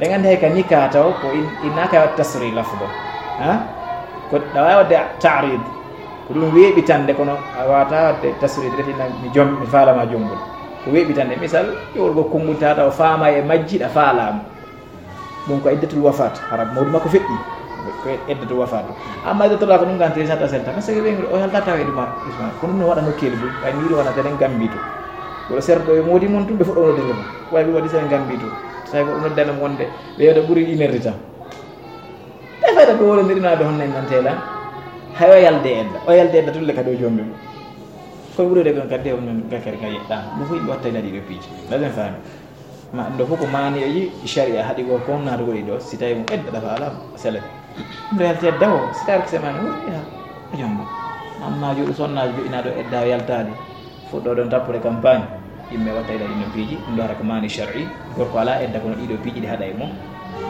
Ɓe nganndi hay ka nika taw ko in-, innaka wa tasri lafdo. Ha? Ko ɗa waawi waɗde ta'rid. Ko ɗum weeɓitande, kono a waawata waɗde tasri, reti na mi jom-, mi faalama jombude. Ko weeɓitande, misal, ƴowol go konngol tata o faama e majji ɗa faalama. Ɗum ko iddatul wafat, hara mawdu makko feƴƴi. Ko iddatul wafat. Amma iddatul wafat ɗum kan tiri sata selta. Parce que ɓe o yaltata e ɗum, Ismail. Kono ɗum no waɗa nokkeeli buy. Ɓay miɗo wona tenen Gambi to. Wala serɗo e modi mon tum ɓe fuɗɗo nodde ɗum. Way ɓe waɗi sen Gambi to. Tawi ko ɗum noddana mo wonde ɓe yewta ɓuri une heure de temps. Ɓe Ɓayta ɓe wonondirinaɓe honno en nantela. Hay o yalde edda. O yalde edda tulle kadi o jombi mo. Koye ɓurude kon kadi on men gakkari ka yeɗɗa. Mo fof watta ina ɗiɗo piiji. Laden faami. Ma ɗum ɗo fof ko maani o yi sharia haɗi ko kon naatugol e ɗo. Si tawi mo edda dafa alama. Sele. Ɗum ɗo yalti edda o. Si tawi ko semani woni ha. O jombo. Amma joɗu sonnaajo joɗinaɗo edda o yaltaali. Fuɗɗo ɗon tappude campagne, yimɓe watta ila ɗin no piiji, ɗum ɗo hara ko maani shar'i, gorko alaa edda kono ɗiɗo piiji ɗi haɗa e mum.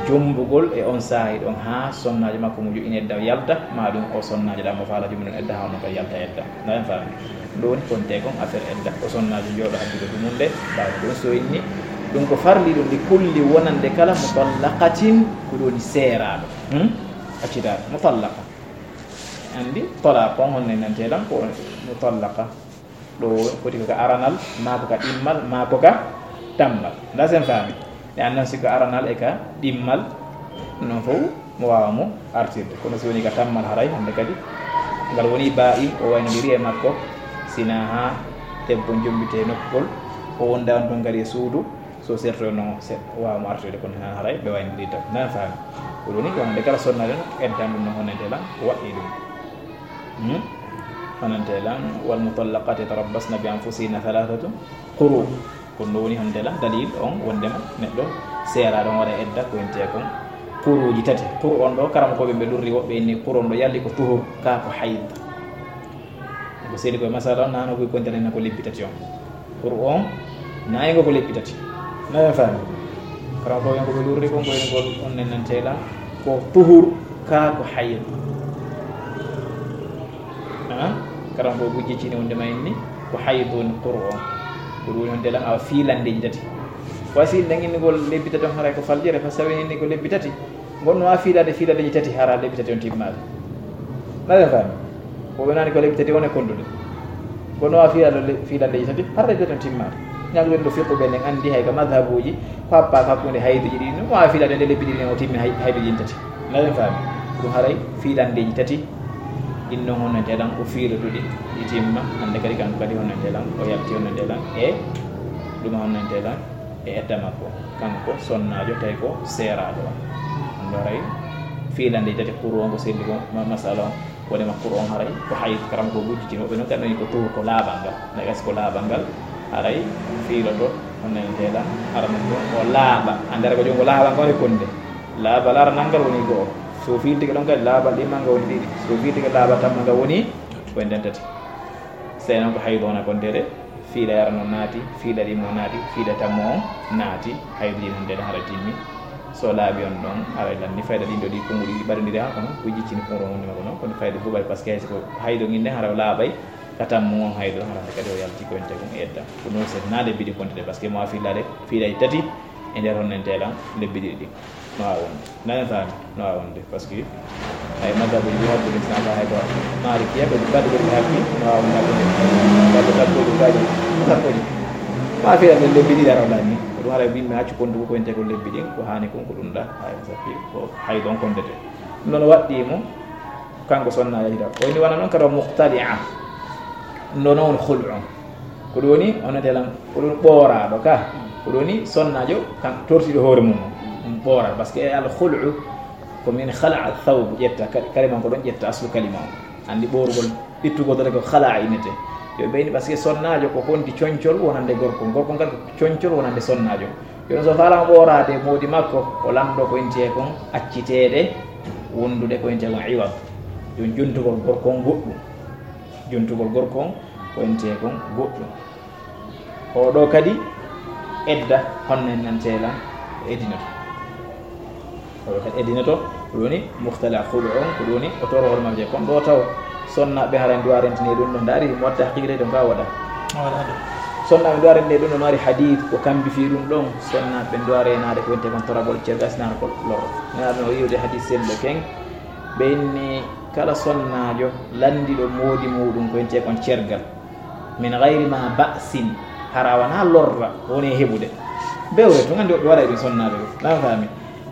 Jombugol e on saa'i ɗon haa sonnaajo makko mo jo'ini edda o yalta, maa ɗum o sonnaajo ɗa mo faala joomum ɗon edda haa on ɗon kadi yalta edda. Ndaɗen faami? Ɗum ɗo woni konte kon affaire edda. O sonnaajo jooɗo habbude ɗum mum nde, ɓaawo ɗum so inni, ɗum ko farli ɗum ɗi kulli wonande kala mutallaqatin, ko ɗum woni seeraaɗo. Hmm? Accitaaɗo, mutallaqa. Anndi, talaq on honno nantee lan ko mutallaqa. Ɗo foti ko ka aranal, maa ko ka ɗimmal, maa ko ka tammal. Nda sen faami. Ɗe annan si ko aranal e ka ɗimmal, non fof mo waawa mo artirde. Kono si woni ka tammal haray, hannde kadi, ngal woni baa'in, o waynodiri e makko, sina haa debbo jombitee nokkol, o wonda on ton kadi e suudu, so sertoyno seɗɗa, o waawa mo artoyde, kono haa haray ɓe waynodiri tan. Nan faami. Ko ɗum ni, wonande kala sonnaajo no eddan ɗum no honante lan, o waɗɗi ɗum. Hmm? Honante lan, "Wal mutallaqaatu yatarabbasna bi anfusihinna thalathatu quru." Ko ɗum woni honante lan, dalil on wondema neɗɗo seeraaɗo on waɗa edda ko wiyetee kon quruuji tati. Quru on ɗo, karamokooɓe ɓe lurri woɓɓe inni quru on ɗo yalli ko tuhur, kaa ko hayd. Ko seedi koye masala on, nano koye kontere ko lebbi tati on. Quru on, nayi ngo ko lebbi tati. Nayi faami. Karamokooɓe ɓe ko ɓe lurri kon, ko en ngol on nennantee lan ko tuhur, kaa ko hayd. Ha? Karamokooɓe bujji cini wonde ma inni ko hayd woni quru on. Ko ɗum woni honante lan awa fiilandeeji tati. Wa si nangini ngol lebbi tati on haray ko faljere, fa sawi inni ko lebbi tati. Ngon no waawi fiilaade fiilandeeji tati hara lebbi tati on timmaade. Naɗen faami? Ko ɓe nani ko lebbi tati on e kondude. Ngon no waawi fiilaade le-, fiilandeeji tati hara lebbi tati on timmaade. Ñaŋluɓe ɗo fiqhu ɓe nden anndi hay ka madhabuuji, ko happa ko hakkunde hayduji ɗi, no waawi fiilaade nde lebbi ɗiɗi o timmi hay-, hayduji ɗin tati. Naɗen faami? Ɗum haray fiilandeeji tati, ɗin non honante lan o fiiloduɗi, ɗi timma, hannde kadi kanko kadi honante lan, o yalti honante lan, e ɗum honante lan, e edda makko, kanko sonnaajo tawi ko seeraaɗo on. Ɗum ɗo haray fiilande tati quru on ko selli ko ma-, masala on, wonde ma quru on haray ko hayd, karamokooɓe bujji cini woɓɓe non kadi ko tuhur ko laaɓal ngal. Na gasi ko laaɓal ngal, haray fiiloto, honante lan, hara ɗum ɗum o laaɓa. Anndere ko joom ko laaɓal ngal woni konde. Laaɓal aranal ngal woni go'o. So fiiltike ɗon kadi laaɓal ɗimmal ngal woni ɗiɗi. So fiiltike laaɓal tammal ngal woni ko en tati. Sey non ko haydu on a kontere. Fiila yara noon naati, fiila ɗimo naati, fiila tammo on naati, hayduji noon nden hara timmi. So laaɓi on ɗon, hara lanni fayda ɗin ɗo ɗi konguɗi ɗi ɓaɗondiri haa kono, ko jiccini kuuro mum ma ko noon, kono fayda buɓay, parce que hay so ko haydu ngin nden hara o laaɓay, ka tammo on haydu hara nde kadi o yalti ko ente kon e edda. Ko noon sen naa lebbi ɗi kontede, parce que mo a fiilaade, fiilay tati e nder honnente lan lebbi ɗiɗi ɗin. No waawi wonde. Nanen faami? No waawi wonde. Parce que hay mazhabuji ɗi hakkunde sina ka hay ko Malikiya ko baɗɗo ɓe haqqi, no waawi wonde hakkunde. Baɗɗo sappoji, gaaji sappoji. Ma fiya ɓe lebbi ɗiɗi ara lanni. Ko ɗum haray yimɓe accu kondugo ko ente ko lebbi ɗin, ko haani kon ko ɗum ɗa. Hay sappi ko hay ɗon kondete. Ɗum ɗon waɗɗii mo, kanko sonna yahira. O ni wona noon kadi o muqtali'a. Ɗum ɗo noon khul'u. Ko ɗum woni, on nodde lan, ko ɗum ɓooraaɗo ka. Ko ɗum woni sonnaajo, kan tortiiɗo hoore mum. Ɗum ɓooraɗo, parce que al khul'u ko min khala'a thawb, ƴetta, ka-, kare man ko ɗon ƴetta aslu kalima on. Anndi ɓoorugol, ittugol tan ko khala'a innete. Yo ɓeyni, parce que sonnaajo ko honti concol wonande gorko. Gorko ngal ko concol wonande sonnaajo. Yo so faalaama ɓooraade moodi makko, o lanndo ko inti e kon acciteede wondude ko inti e kon iwad. Yo jontugol gorko on goɗɗum. Jontugol gorko on ko inti e kon goɗɗum. O ɗo kadi edda honno en nantee lan o eddinoto. O ɗo kadi eddinoto, ko ɗum woni muhtala khulu on, ko ɗum woni o toro hoore makko je. Kon ɗo taw sonnaaɓe hara en duwa rentini ɗum ɗo ndaari mo watta haqiqe ɗon ka waɗa. Waɗa ɗum. Sonnaaɓe duwa rentini ɗum ɗo mari hadith ko kambi fii ɗum ɗon. Sonnaaɓe duwa renaade ko wonte kon toragol cerga sinaano ko loro. Nana ɗum o yiwde hadith sello ken. Ɓe inni kala sonnaajo landiɗo moodi muɗum ko wonte kon cergal. Min gayri ma ba'sin, hara wona lorra woni e heɓude. Bewre tun, anndi woɓɓe waɗay ɗum sonnaaɓe ɓe. Na faami?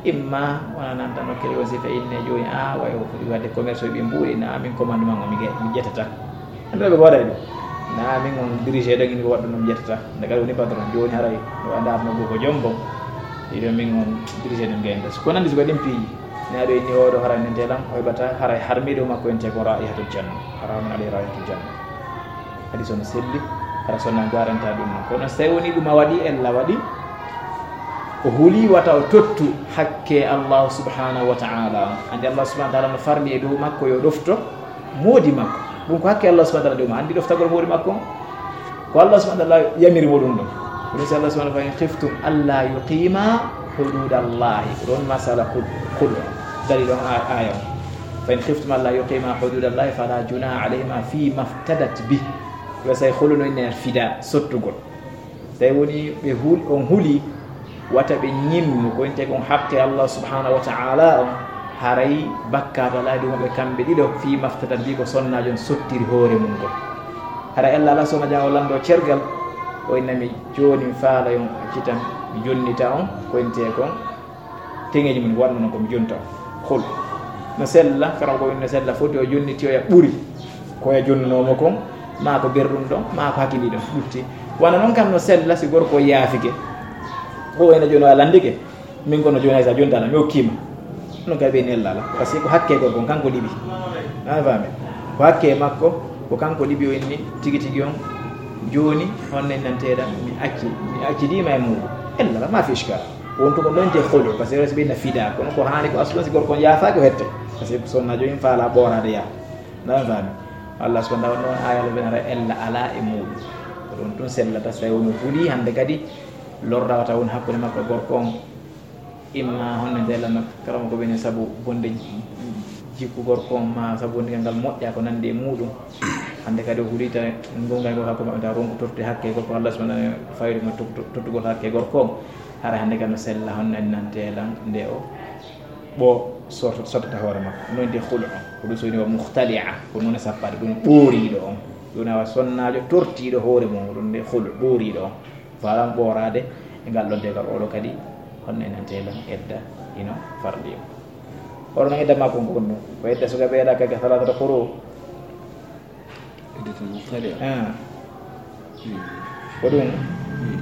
Imma wona nan tan o kiri on sifa inne jooni, a, way o foti waɗde commerce o ɓe mbuuɗi, na min commandement o mi ge-, mi ƴettata. Anndi woɓɓe waɗay ɗum. Na min on dirigé ɗon, mi waɗɗo ɗum ƴettata. Nde kadi woni patron, jooni haray no anndi arno go ko jom bon. Iyo min on dirigé ɗum gayda. Ko nandi so ko ɗin piiji. Ne aɗo inni oɗo hara nentee lan, o heɓata haray harmi dow makko ente ko raihatul janna. Haramun alayhi raihatul janna. Hadis on selli, hara sonna garanta ɗum non. Kono so tawi woni ɗum a waɗi, ella waɗi, o huli wata o tottu hakke Allah subhanahu wa ta'ala. Andi Allah subhanahu wa ta'ala no farli e dow makko yo ɗofto moodi makko. Ɗum ko hakke Allah subhanahu wa ta'ala dow ma. Andi ɗoftagol moodi makko on. Ko Allah subhanahu wa ta'ala yamiri mo ɗum ɗon. Ko ɗum si Allah subhanahu wa ta'ala, "Fa in khiftum alla yuqima hududallahi." Ko ɗon masala khul-, khulu. Dalil on a-, aya on. "Fa in khiftum alla yuqima hududallahi fala junaha alayhima fi maftadat bih." Ko say khulu no inne fida sottugol. Tawi woni ɓe hul-, on huli wata ɓe ñimmu ko inte kon haqqe Allah subhanahu wa ta'ala on, haray bakkaat alaa e dow maɓɓe kamɓe ɗiɗo, fii maftadat bi ko sonnaajo on sottiri hoore mum ngol. Haray Allah alaa sonna jan o lanndo cergal, o innami jooni mi faala on accitan, mi jonnita on ko inte kon teŋeeji mum waɗno non ko mi jonta on. Hol no sella, kara ko no sella foti o jonnitiyoya ɓuri ko ya jonnunoomo kon, maa ko berɗum ɗon, maa ko hakkili ɗon ƴutti. Wano non kam no sella si gorko yaafike. O ena jooni a landike. Min kono jooni hay sa jontaala, mi okkiima. Non kay ɓe nella la. Parce que ko hakke gorko on, kanko liɓi. A faami? Ko hakke makko, ko kanko liɓi o inni tigi tigi on. Jooni, honno en nanteeɗa, mi acci, mi accidiima e muuɗum. Ella la, ma fi ishkal. Wontu ko non te khulu, parce que ɓe na fida, kono ko haani ko aslo si gorko on yaafaaki o hette. Parce que sonna jooni faala ɓooraade yaa. Ndaa faami? Allah subhanahu wa ta'ala non ayal ɓe nara ella alaa e muuɗum. Ko ɗon tun sellata so tawi woni huli hannde kadi lorra wata woni hakkunde makko e gorko on. Imma honno nde lanno karama ko ɓe ne sabu bonde jikku gorko on ma sabu wondigal ngal moƴƴa ko nandi e muuɗum. Hannde kadi o hulita ngongal ngol hakko maɓɓe taw ronko totti hakke gorko Allah subhanahu wa ta'ala fayri mo tot-, tot-, tottugol hakke gorko on. Hara hannde kadi no sella honno en nante lan nde o ɓo sorto-, sottata hoore makko. Noon de khulu on. Ko ɗum so woni wa mukhtali'a. Ko noon e sappaade ɗum ɓooriiɗo on. Ɗum awa sonnaajo tortiiɗo hoore mum. Ɗum de khulu ɓooriiɗo on. Faala ɓooraade e ngal ɗon tegal oɗo kadi, honno en nante lan edda ino farli o. Oɗo no edda makko ngon ɗum. Ko edda suka ɓeeɗa kake salatata koro. Iddatul mukhtali'a. Ah. Hmm. Ko ɗum. Hmm.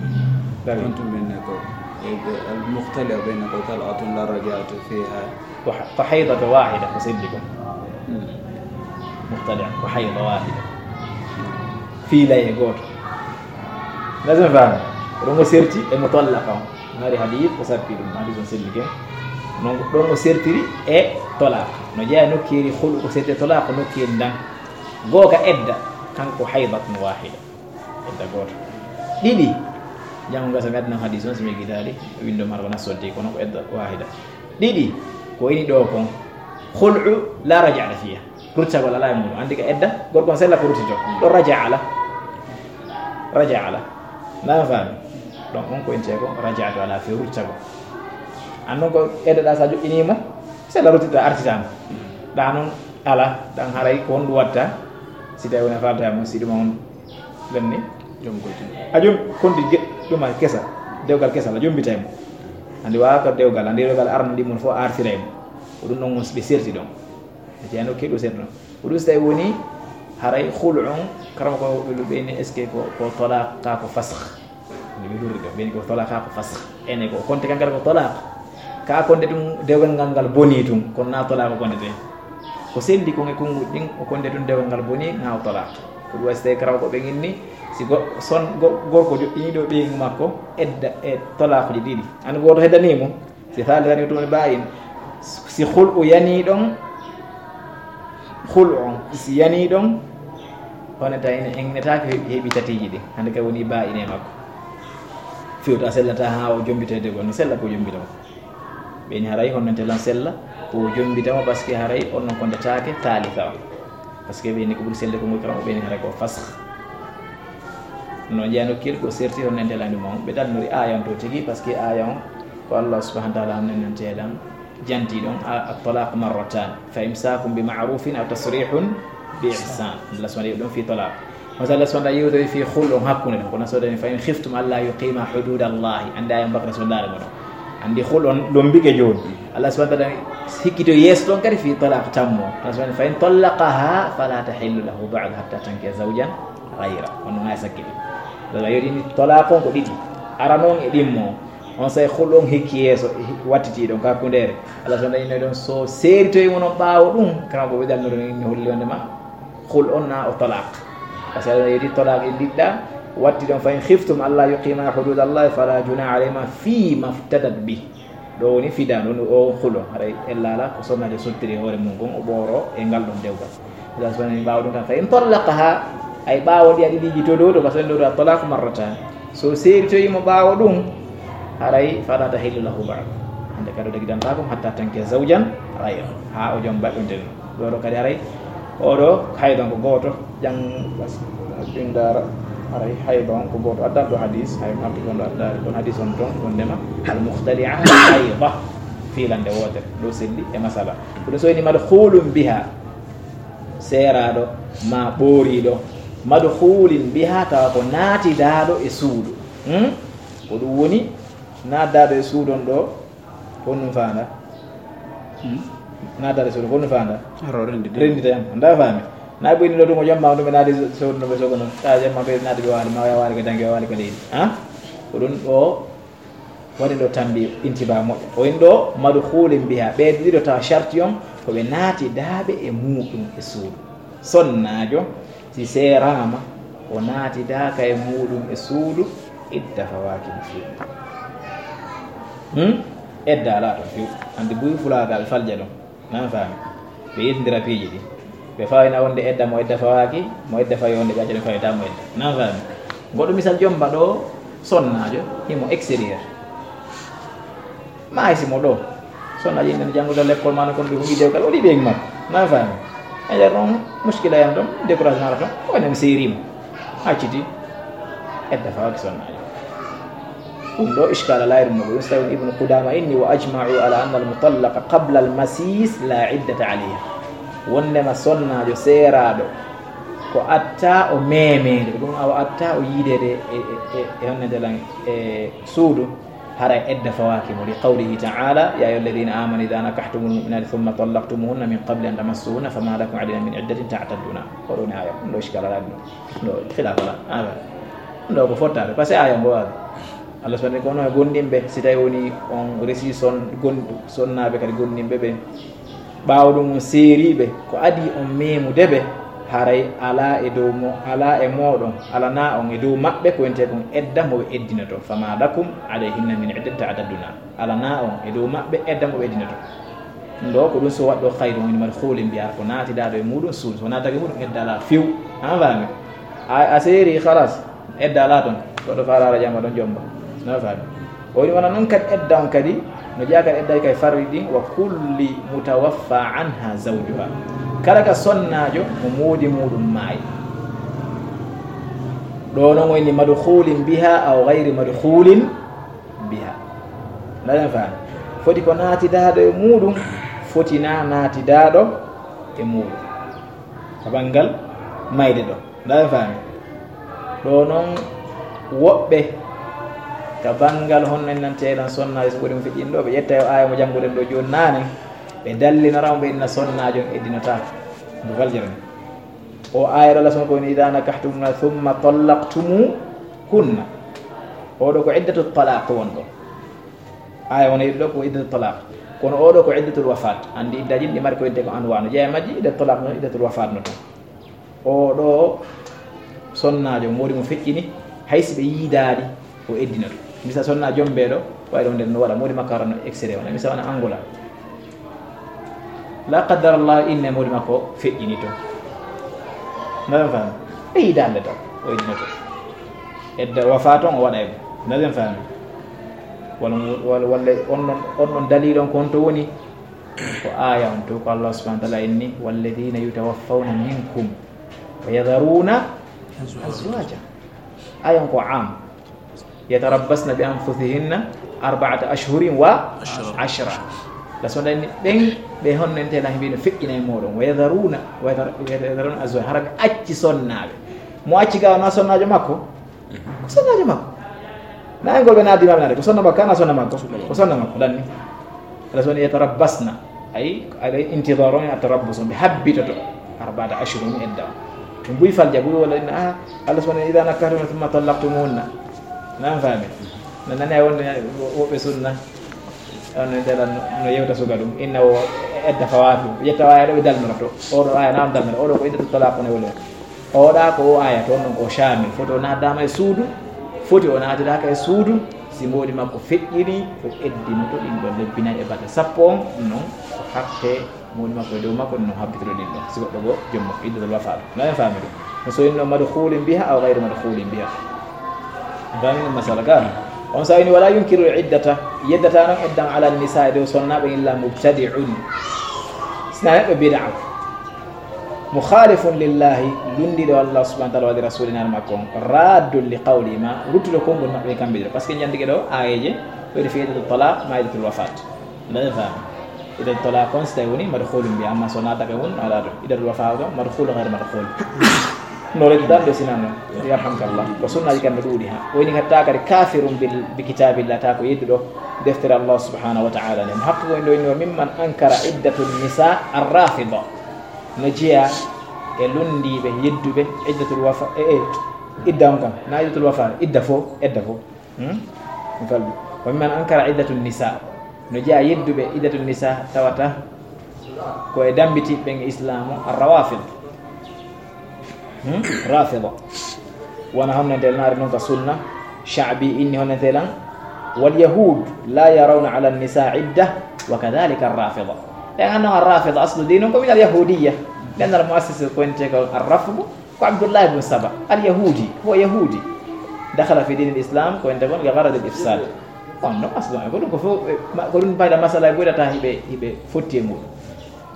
Dari. Kontu min ne ko, e, e, al mukhtali'a ɓe ne ko tal'atun la raja'ata fiha. Ko ha-, ko haydata wahida ko seddi ko. Hmm. Mukhtali'a ko hayda wahida. Fiilay e gooto. Lazim faami. Ko ɗon o serti e mutallaqa on. Ngari hadith ko sappi ɗum. Hadith on selli ken. Non ko ɗon o sertiri e talaq. No jeeya nokkeeri khulu ko serti e talaq ko nokkeeri ndan. Gooka edda, kanko haydatun wahida. Edda gooto. Ɗiɗi, janngo ngasa mi addan hadis on, so mi gitaali, windo mara ko nasodde, kono ko edda wahida. Ɗiɗi, ko ini ɗo kon, khul'u la raja'ata fiha. Ruttagol alaa e muuɗum. Anndi ka edda, gorko on sella ko ruttito. Ɗo raja ala. Raja ala. Na faami? Donc on ko inte ko raja'atu ala fi ruttagol. An non ko edda ɗa sa joƴƴiniimo, sella ruttito artitaama. Ɗa non ala, ɗan haray ko honɗum watta? Si tawi wona falta mo, si ɗum on lenni. Jom ko jom. A jom konti ge-, ɗum a kesa, dewgal kesa la jombitay mo. Andi wa ko dewgal, andi dewgal arno ndi mun fo artiray mo. Ko ɗum non ɓe serti ɗon. E tiyano keɗo serti ɗon. Ko ɗum so tawi woni haray khulu on, karama ko ɓe luɓe ni, est-ce que ko, ko talaq ka ko fasakh? Nde ɓe lurri ɗo, ɓeni ko talaq ko fasakh. Ene ko konte kan kadi ko talaq. Ka konte ɗum dewgal ngal ngal boni tun, kono na talaq o konte ten. Ko sendi kon e konguɗi ɗin, o konte ɗum dewgal ngal boni, na o talaq. Ko ɗum waɗi so tawi karaw ko ɓe inni, si go-, son-, go-, gorko joɗɗini ɗo ɓeyngu makko, edda e talaq ji ɗiɗi. An gooto heddani mo, si thalithan ɗum woni ba'in. Si khul'u yani ɗon, khul'u on, si yani ɗon, on etaaki, en etaaki heɓi, heɓi tatiiji ɗin. Hannde kay woni ba'in e makko. Fewta sellata haa o jombita e dewgal, no sella ko jombita mo. Ɓeni haray honno nte lan sella, ko o jombita mo, parce que haray on non kondetaake thalitha on. Parce que ɓeni ko ɓuri selle ko ngol kala, ɓeni haray ko fasakh. No jeeya nokkir ko serti honno nte lan ɗum on. Ɓe dannori aaya on to tigi, parce que aaya on ko Allah subhanahu wa ta'ala honno nte lan janti ɗon, a, at-talaq marratan, fa imsakun bi ma'rufin aw tasrihun bi ihsan. Allah subhanahu wa ta'ala ɗon fi talaq. Masala sonda yewtoy fi khul on hakkunde ɗon. Kono sodani fa in khiftum alla yuqima hududallahi. Andi aaya on bakra sondare mo ɗon. Andi khul on lombike jooni. Allah subhanahu wa ta'ala hikkito yeeso ɗon kadi fi talaq tammo. Allah subhanahu fa in tallaqaha fala tahillu lahu ba'du hatta tankiha zawjan ghayra. Kono ngaya sakkiti. Daga yodini talaq on ko ɗiɗi. Arano on e ɗimmo. On saa'i khul on hikki yeeso, wattitiiɗo on ka hakkundeere. Allah subhanahu wa ta'ala inni ɗon so seeritoyi mo non ɓaawo ɗum, kama ko ɓe dalnude min mi holli wonde ma khul on na o talaq. Par ce que Allah yetti talaq e ndiɗɗa, watti ɗon fa in khiftum alla yuqima hudud Allah fala junaha alayhima fi maftadat bi. Ɗo woni fida ɗon o khul on. Haray ella ala ko sonnaajo sottiri hoore mum kon, o ɓooro e ngal ɗon dewgal. Allah subhanahu wa ta'ala ɓaawo ɗum tan fa in tallaqaha, ay ɓaawo ɗi a ɗiɗiiji to ɗo, to basen ɗo ɗo talaq marratan. So seeritoyi mo ɓaawo ɗum, haray fala tahillu lahu ba'd. Hande kadi o dagidantaako mo hatta tankiha zawjan ghayra. Ha o joom baɗɗunte ɗum. Ɗo ɗo kadi haray, o ɗo haydon ko gooto, jang, ɗum dara, haray haydon ko gooto. Addan ɗo hadis, hay marti kon ɗo addaari kon hadis on ton, wondema, al mukhtali'a hayda. Fiilande wootere, ɗo selli e masala. Ko ɗum so woni madkhulun biha. Seeraaɗo, ma ɓooriiɗo, madkhulin biha, tawa ko naatidaaɗo e suudu. Hmm? Ko ɗum woni naatdaaɗo e suudu on ɗo, ko ɗum faanda. Hmm? Naatdaaɗo e suudu, ko ɗum faanda. Aro renndita. Renndita yam, nda faami. Na ɓoyni ɗo ɗum o jamma ɗum ɓe naati suudu no ɓe sogo non. Ta jamma ɓe naati ɓe waali, ma waali ko dangi, waali ko leydi. Ha? Ko ɗum ɗo Waɗi ɗo tambi intiba moƴƴo. O in ɗo madkhulin biha. Ɓe ɗiɗo tawa sharti on ko ɓe naatidaaɓe e muuɗum e suudu. Sonnaajo, si seeraama, o naatidaaka e muuɗum e suudu, idda fawaaki mo few. Hmm? Edda alaa ɗon few. Anndi buy fulaaga ɓe falja ɗon. Nan faami. Ɓe yiltindira piiji ɗi. Ɓe fawina wonde edda mo edda fawaaki, mo edda fawi wonde ɓe acca ɗum fawita mo edda. Nan faami. Goɗɗo misal jomba ɗo sonnaajo, himo extérieur. Ma hay si mo ɗo. Sonnaajo ina janngude l'école maana kon ɓe huɓi dewgal, o ɗi ɓe makko. Nan faami. E nder ɗon muskila yan ɗon, découragement ara ɗon, o enen seerimo. Acciti edda fawaaki sonnaajo. Ɗum ɗo iskala layru mo ɗum, so tawi Ibnu Qudama inni, "Wa ajma'u ala anna al-mutallaqa qabla al-masis la iddata alayha." Wondema sonnaajo seeraaɗo ko atta o memeede, ɗum awa atta o yiideede e, e, e, e honnede lan e suudu, haray edda fawaaki mo, li qawlihi ta'ala, "Ya ayyuha alladhina amanu idha nakahtumul mu'minati thumma tallaqtumuhunna min qabli an tamassuhunna fama lakum alayhinna min iddatin ta'tadduna." Ko ɗum aya, ɗum ɗo iskala layru ɗum. Ɗo khilafa la, aya. Ɗo ko fottaade, parce que aya ngo waɗi. Allah subhanahu wa ta'ala ko no e gomɗinɓe, si tawi woni on resi son-, gon-, sonnaaɓe kadi gomɗinɓe ɓe. Ɓaawo ɗum on seeriiɓe, ko adii on meemude ɓe, haray alaa e dow mo-, alaa e mooɗon, alanaa on e dow maɓɓe ko wiyetee kon edda mo ɓe eddinoto. Fama lakum alayhinna min iddatin ta'tadduna. Alanaa on e dow maɓɓe edda mo ɓe eddinoto. Ɗum ɗo ko ɗum so waɗɗo khayru woni madkhulin biha ko naatidaaɗo e muuɗum suudu. So naatake muuɗum edda alaa few. An faami? A, a seeri khalas, edda alaa ton. Goɗɗo faalaara jamma ɗon jomba. Na faami? O woni wona noon kadi edda on kadi, no jeyaa kadi edda kay farri ɗin, wa kulli mutawaffa anha zawjuha. Kala ka sonnaajo mo moodi muuɗum maayi. Ɗo noon woni madkhulin biha aw ghayri madkhulin biha. Ndaɗen faami. Foti ko naatidaaɗo e muuɗum, foti na naatidaaɗo e muuɗum. Ka banngal mayde ɗo. Ndaɗen faami. Ɗo noon woɓɓe ka banngal honno en nante eɗen sonnaajo so ɓuri mo feƴƴin ɗo, ɓe ƴetta yo aaya mo jannguɗen ɗo jooni naane, ɓe dallinora mo ɓe inna sonnaajo on eddinotaako. Mo faljere ni. O aaya ɗo Allah subhanahu wa ta'ala ko woni, "Idha nakahtumuna thumma tallaqtumuhunna." Oɗo ko iddatu talaq won ɗo. Aaya wona yiɗi ɗo ko iddatu talaq. Kono oɗo ko iddatul wafat. Anndi iddaaji ɗi mari ko idde ko anwa no jeyaa majji, iddatu talaq no, iddatul wafat no tan. Oɗo sonnaajo moodi mo feƴƴini, hay si ɓe yiidaali, o eddinoto. Misa sonna jombeeɗo, wawi ɗum nden no waɗa, moodi makko arano extérieur, wona misa wona Angola. La qaddar Allah, inne moodi makko feƴƴini to. Ndaɗen faami? E yiidaande taw, o eddinoto. Edda wafa toon o waɗa e mum. Ndaɗen faami? Walla mo, walla, walla on ɗon, on ɗon daliil on ko honto woni? Ko aaya on to, ko Allah subhanahu wa ta'ala inni, "Walladhina yutawaffawna minkum wa yadharuna azwaja." Aaya on ko am. "Yatarabbasna bi anfusihinna arba'ata ashhurin wa ashra." La sonda ni ɓen ɓe honno en tela himɓe no feƴƴina e moɗon. "Wa yadharuna, wa yadhar-, wa yadharuna azwaja." Hara ɓe acci sonnaaɓe. Mo acci ga wona sonnaajo makko? Ko sonnaajo makko. Na en golɓe naadi maɓe naade, ko sonna makko, kana sonna makko? Ko sonna makko, danni. Ala sonni yatarabbasna. Ay, ala intidar on, atarabbus on, ɓe habbitoto. Arba'ata ashhurin edda. Ɗum buy falja, buy wala inna, ah, Allah subhanahu wa ta'ala, "Idha nakahtumunna thumma tallaqtumuhunna." Nan faami. No nani a wonde woɓɓe sunna, on no ndela no yewta suka ɗum. Inna o edda fawaatu. Ƴetta o aya ɗo ɓe dalmira to. Oɗo aya na on dalmira. Oɗo ko iddatu talaq on e woni. Oɗa ko o aya to, non ko shamil. Foti o naatama e suudu. Foti o naatidaka e suudu. Si mboɗi makko feƴƴini, o eddinoto ɗin ɗon lebbi nayi e balɗe sappo on, non ko haqqe mboɗi makko e dow makko, non habbitoto ɗin ɗon. Si goɗɗo goo, joom makko, iddatul wafa ɗum. Na en faami ɗum. No so inno madkhulin biha aw ghayru madkhulin biha. Faami ɗum masala ka. On sa ini wala yunkiru iddata, yeddata non eddan ala nisa e dow sonnaaɓe illa mubtadi'un. Sina neɗɗo bid'a. Mukhalifun lillahi, lundiɗo Allah subhanahu wa ta'ala wa li rasulina makko on. Raddun li qawli ma, ruttuɗo konngol maɓɓe kamɓe ɗiɗo. Parce que jandike ɗo, ayeje, ko ede fi iddatul talaq, ma iddatul wafat. Nde faami. Iddatul talaq kon si tawi woni madkhulun bi, amma so naataka won, ala ɗo. Iddatul wafat ɗo, madkhul ghayr madkhul. No redi dan ɗo sinan non. Yarhamkallah. Ko sunnaji kamɓe ɗuuɗi ha. Woni hatta kadi kafirun bil, bi kitabillah, ta ko yedduɗo deftere Allah subhanahu wa ta'ala nden. Haqqe ko ɗo inni, wa mimman ankara iddatun nisa ar-rafida. No jeya e lundiiɓe, yedduɓe, iddatul wafa, e, e, idda on kam. Na iddatul wafa, idda fo, edda fo. Hmm? Mi falbi. Wa mimman ankara iddatun nisa. No jeya yedduɓe iddatun nisa tawata ko e dambiti ɓen e islamu ar-rawafid. Hmm? Rafida. Wona honnantel naari non ka sunna. Sha'bi inni honnantel an. Wal yahud la yarawna ala nisa idda wa kadhalika ar-rafida. Ɓen anno ar-rafida aslu dinum ko min al-yahudiyya. Ɓen al-muassis ko ente ko ar-rafdu. Ko Abdullah ibn Saba, al-Yahudi, huwa Yahudi. Dakhala fi dinil Islam, ko ente kon, li gharadil ifsad. On no aslo, ko ɗum ko fof, eh, ma-, ko ɗum mbayɗa masala e ɓoyɗata hiɓe, hiɓe fotti e muɗum.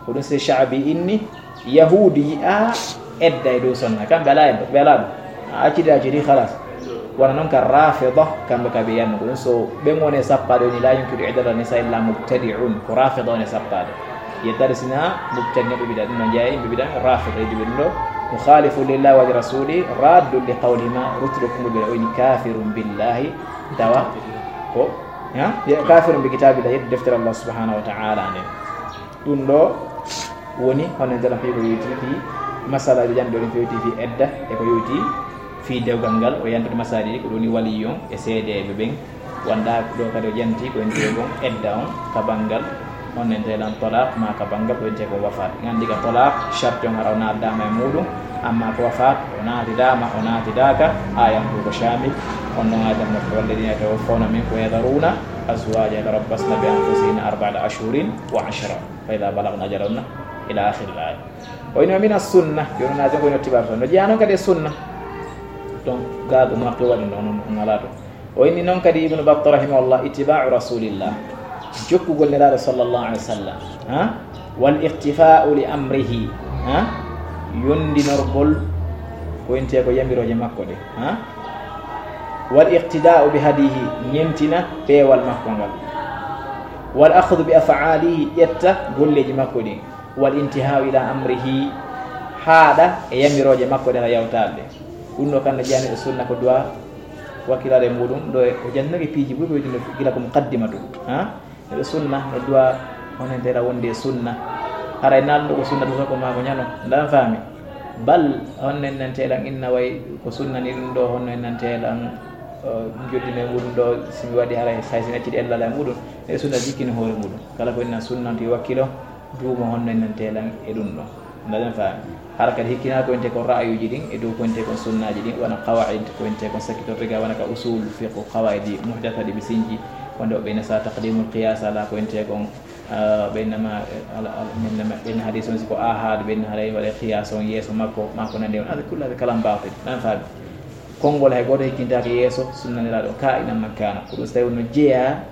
Ko ɗum si Sha'bi inni, Yahudi yi'a edda e dow sonna. Kamɓe ala edda, ɓe ala ɗum. A accidi, a accidi, khalas. Wona noon ka Rafida, kamɓe ka ɓe yanno ko ɗum. So ɓen woni e sappaade woni la yunkiru iddata nisa illa mubtadi'un, ko Rafida woni e sappaade. Yettade sina mubtadi neɗɗo bida ɗum no jeeya yimɓe bida Rafida e ɗum ɗo. Mukhalifu lillahi wa li rasuli, raddu li qawlihima, ruttuɗo kumɓe ɓe o ini kafirun billahi, tawa ko, ha? Ya kafirun bi kitabillah, yeddi deftere Allah subhanahu wa ta'ala nden. Ɗum ɗo woni hono ndelam fi ko yowti fi masala ɓe jandi ɗo fi yowti fi edda e ko yowti fi dewgal ngal o yantude masala ɗi ko ɗum woni waliyon e seedeɓe ɓen. Wonda ɗo kadi o janti ko wiyetee kon edda on ka banngal, on nentee lan talaq, ma ka banngal ko wiyetee kon wafaat. Nganndi ka talaq, sharti on hara o naaddaama e muuɗum, amma ko wafaat, o naatidaama, o naatidaaka, ayan ko ko shamil. On non ayan mo, والذين يتوفون منكم ويذرون أزواجا يتربصن بأنفسهن أربعة أشهر وعشرا فإذا بلغن أجلهن إلى آخر الآية. O inni ومن السنة, jooni na jogo no tibar tan. No jeyaa non kadi e sunna. Donc, gaago mo to waɗi non, non, non alaa ɗo. O inni noon kadi Ibnu Batta rahimahullah, ittiba'u rasulillah, jokkugol Nelaaɗo sallallahu alaihi wasallam, ha? Wal iqtifa'u li amrihi, ha? Yondinorgol ko wiyetee ko yamirooje makko ɗe, ha? Wal iqtida'u bi hadihi, ñemtina peewal makko ngal. Wal akhdhu bi af'alihi, ƴetta golleeji makko ɗin. Wal intiha'u ila amrihi, haaɗa e yamirooje makko ɗen a yawtaade. Ɗum ɗo kan no jeyaa e sunna ko du'a wakkilaare muɗum, ɗo e, o jannake piiji buy ko wiyetee gila ko muqaddimatu, ha? Neɗɗo sunna, no du'a, on entee lan wonde e sunna. Haray naalɗo ko sunna, to ko maa ko ñano, ndan faami. Bal, on nentee lan inna way ko sunna ni ɗum ɗo, on nentee lan, eh, joddine muɗum ɗo, si mi waɗi haray, hay si mi accidi ellal e muɗum, e sunna jikkini hoore muɗum. Kala ko inna sunna, to wakkilo, duumo honno en nantee lan e ɗum ɗon. Ndaɗen faami. Hara kadi hikkina ko wiyetee kon ra'ayuuji ɗin, e dow ko wiyetee kon sunnaaji ɗin, wona qawaa'id ko wiyetee kon sakkitorde ga, wona ka usul fiqh qawaa'idi muhdatha ɗi ɓe sinji, wonde o ɓeyna sa taqdimul qiyas ala ko wiyetee kon, ah, ɓeyna ma, ala, ala, ɓeyna ma, ɓeyna hadis on si ko ahad, ɓeyna haray waɗe qiyas on yeeso makko, ma ko nandi on, hada kullu hada kalam batil. Nan faami. Konngol hay gooto hikkintaake yeeso sunna Nelaaɗo, kaa'inan man kaana. Ko ɗum so tawi no jeyaa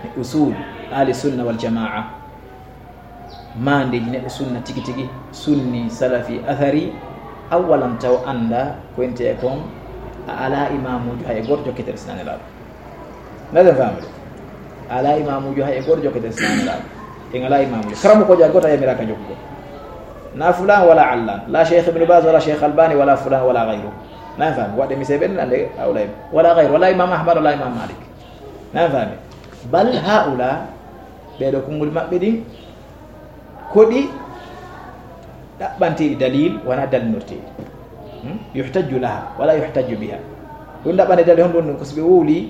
e usul ahli sunna wal jamaa. Maandeeji neɗɗo sunna tigi tigi, sunni, salafi, athari, awalan taw annda ko wiyetee kon a alaa imaamuujo hay e gooto jokketeeɗo si hinaa Nelaaɗo. Ndaɗen faamude. A alaa imaamuujo hay e gooto jokketeeɗo si hinaa Nelaaɗo. En alaa imaamuujo. Karamokoojo hay gooto a yamiraaka jokkugol. Na fulaan wala allaan. La Cheikh Ibn Baz wala Cheikh Albani wala fulaan wala gayru. Nan faami. Waɗde misee ɓen annde awlay. Wala gayru. Wala Imam Ahmad wala Imam Malik. Nan faami. Bal haula, ɓee ɗoo konngol maɓɓe ɗin, ko ɗi ɗaɓɓanteeɗi dalil, wonaa dalinorteeɗi. Hmm? Yuhtajju laha, wala yuhtajju biha. Ɗum ɗaɓɓande dalil, honɗum ɗum? Ko si ɓe wowli,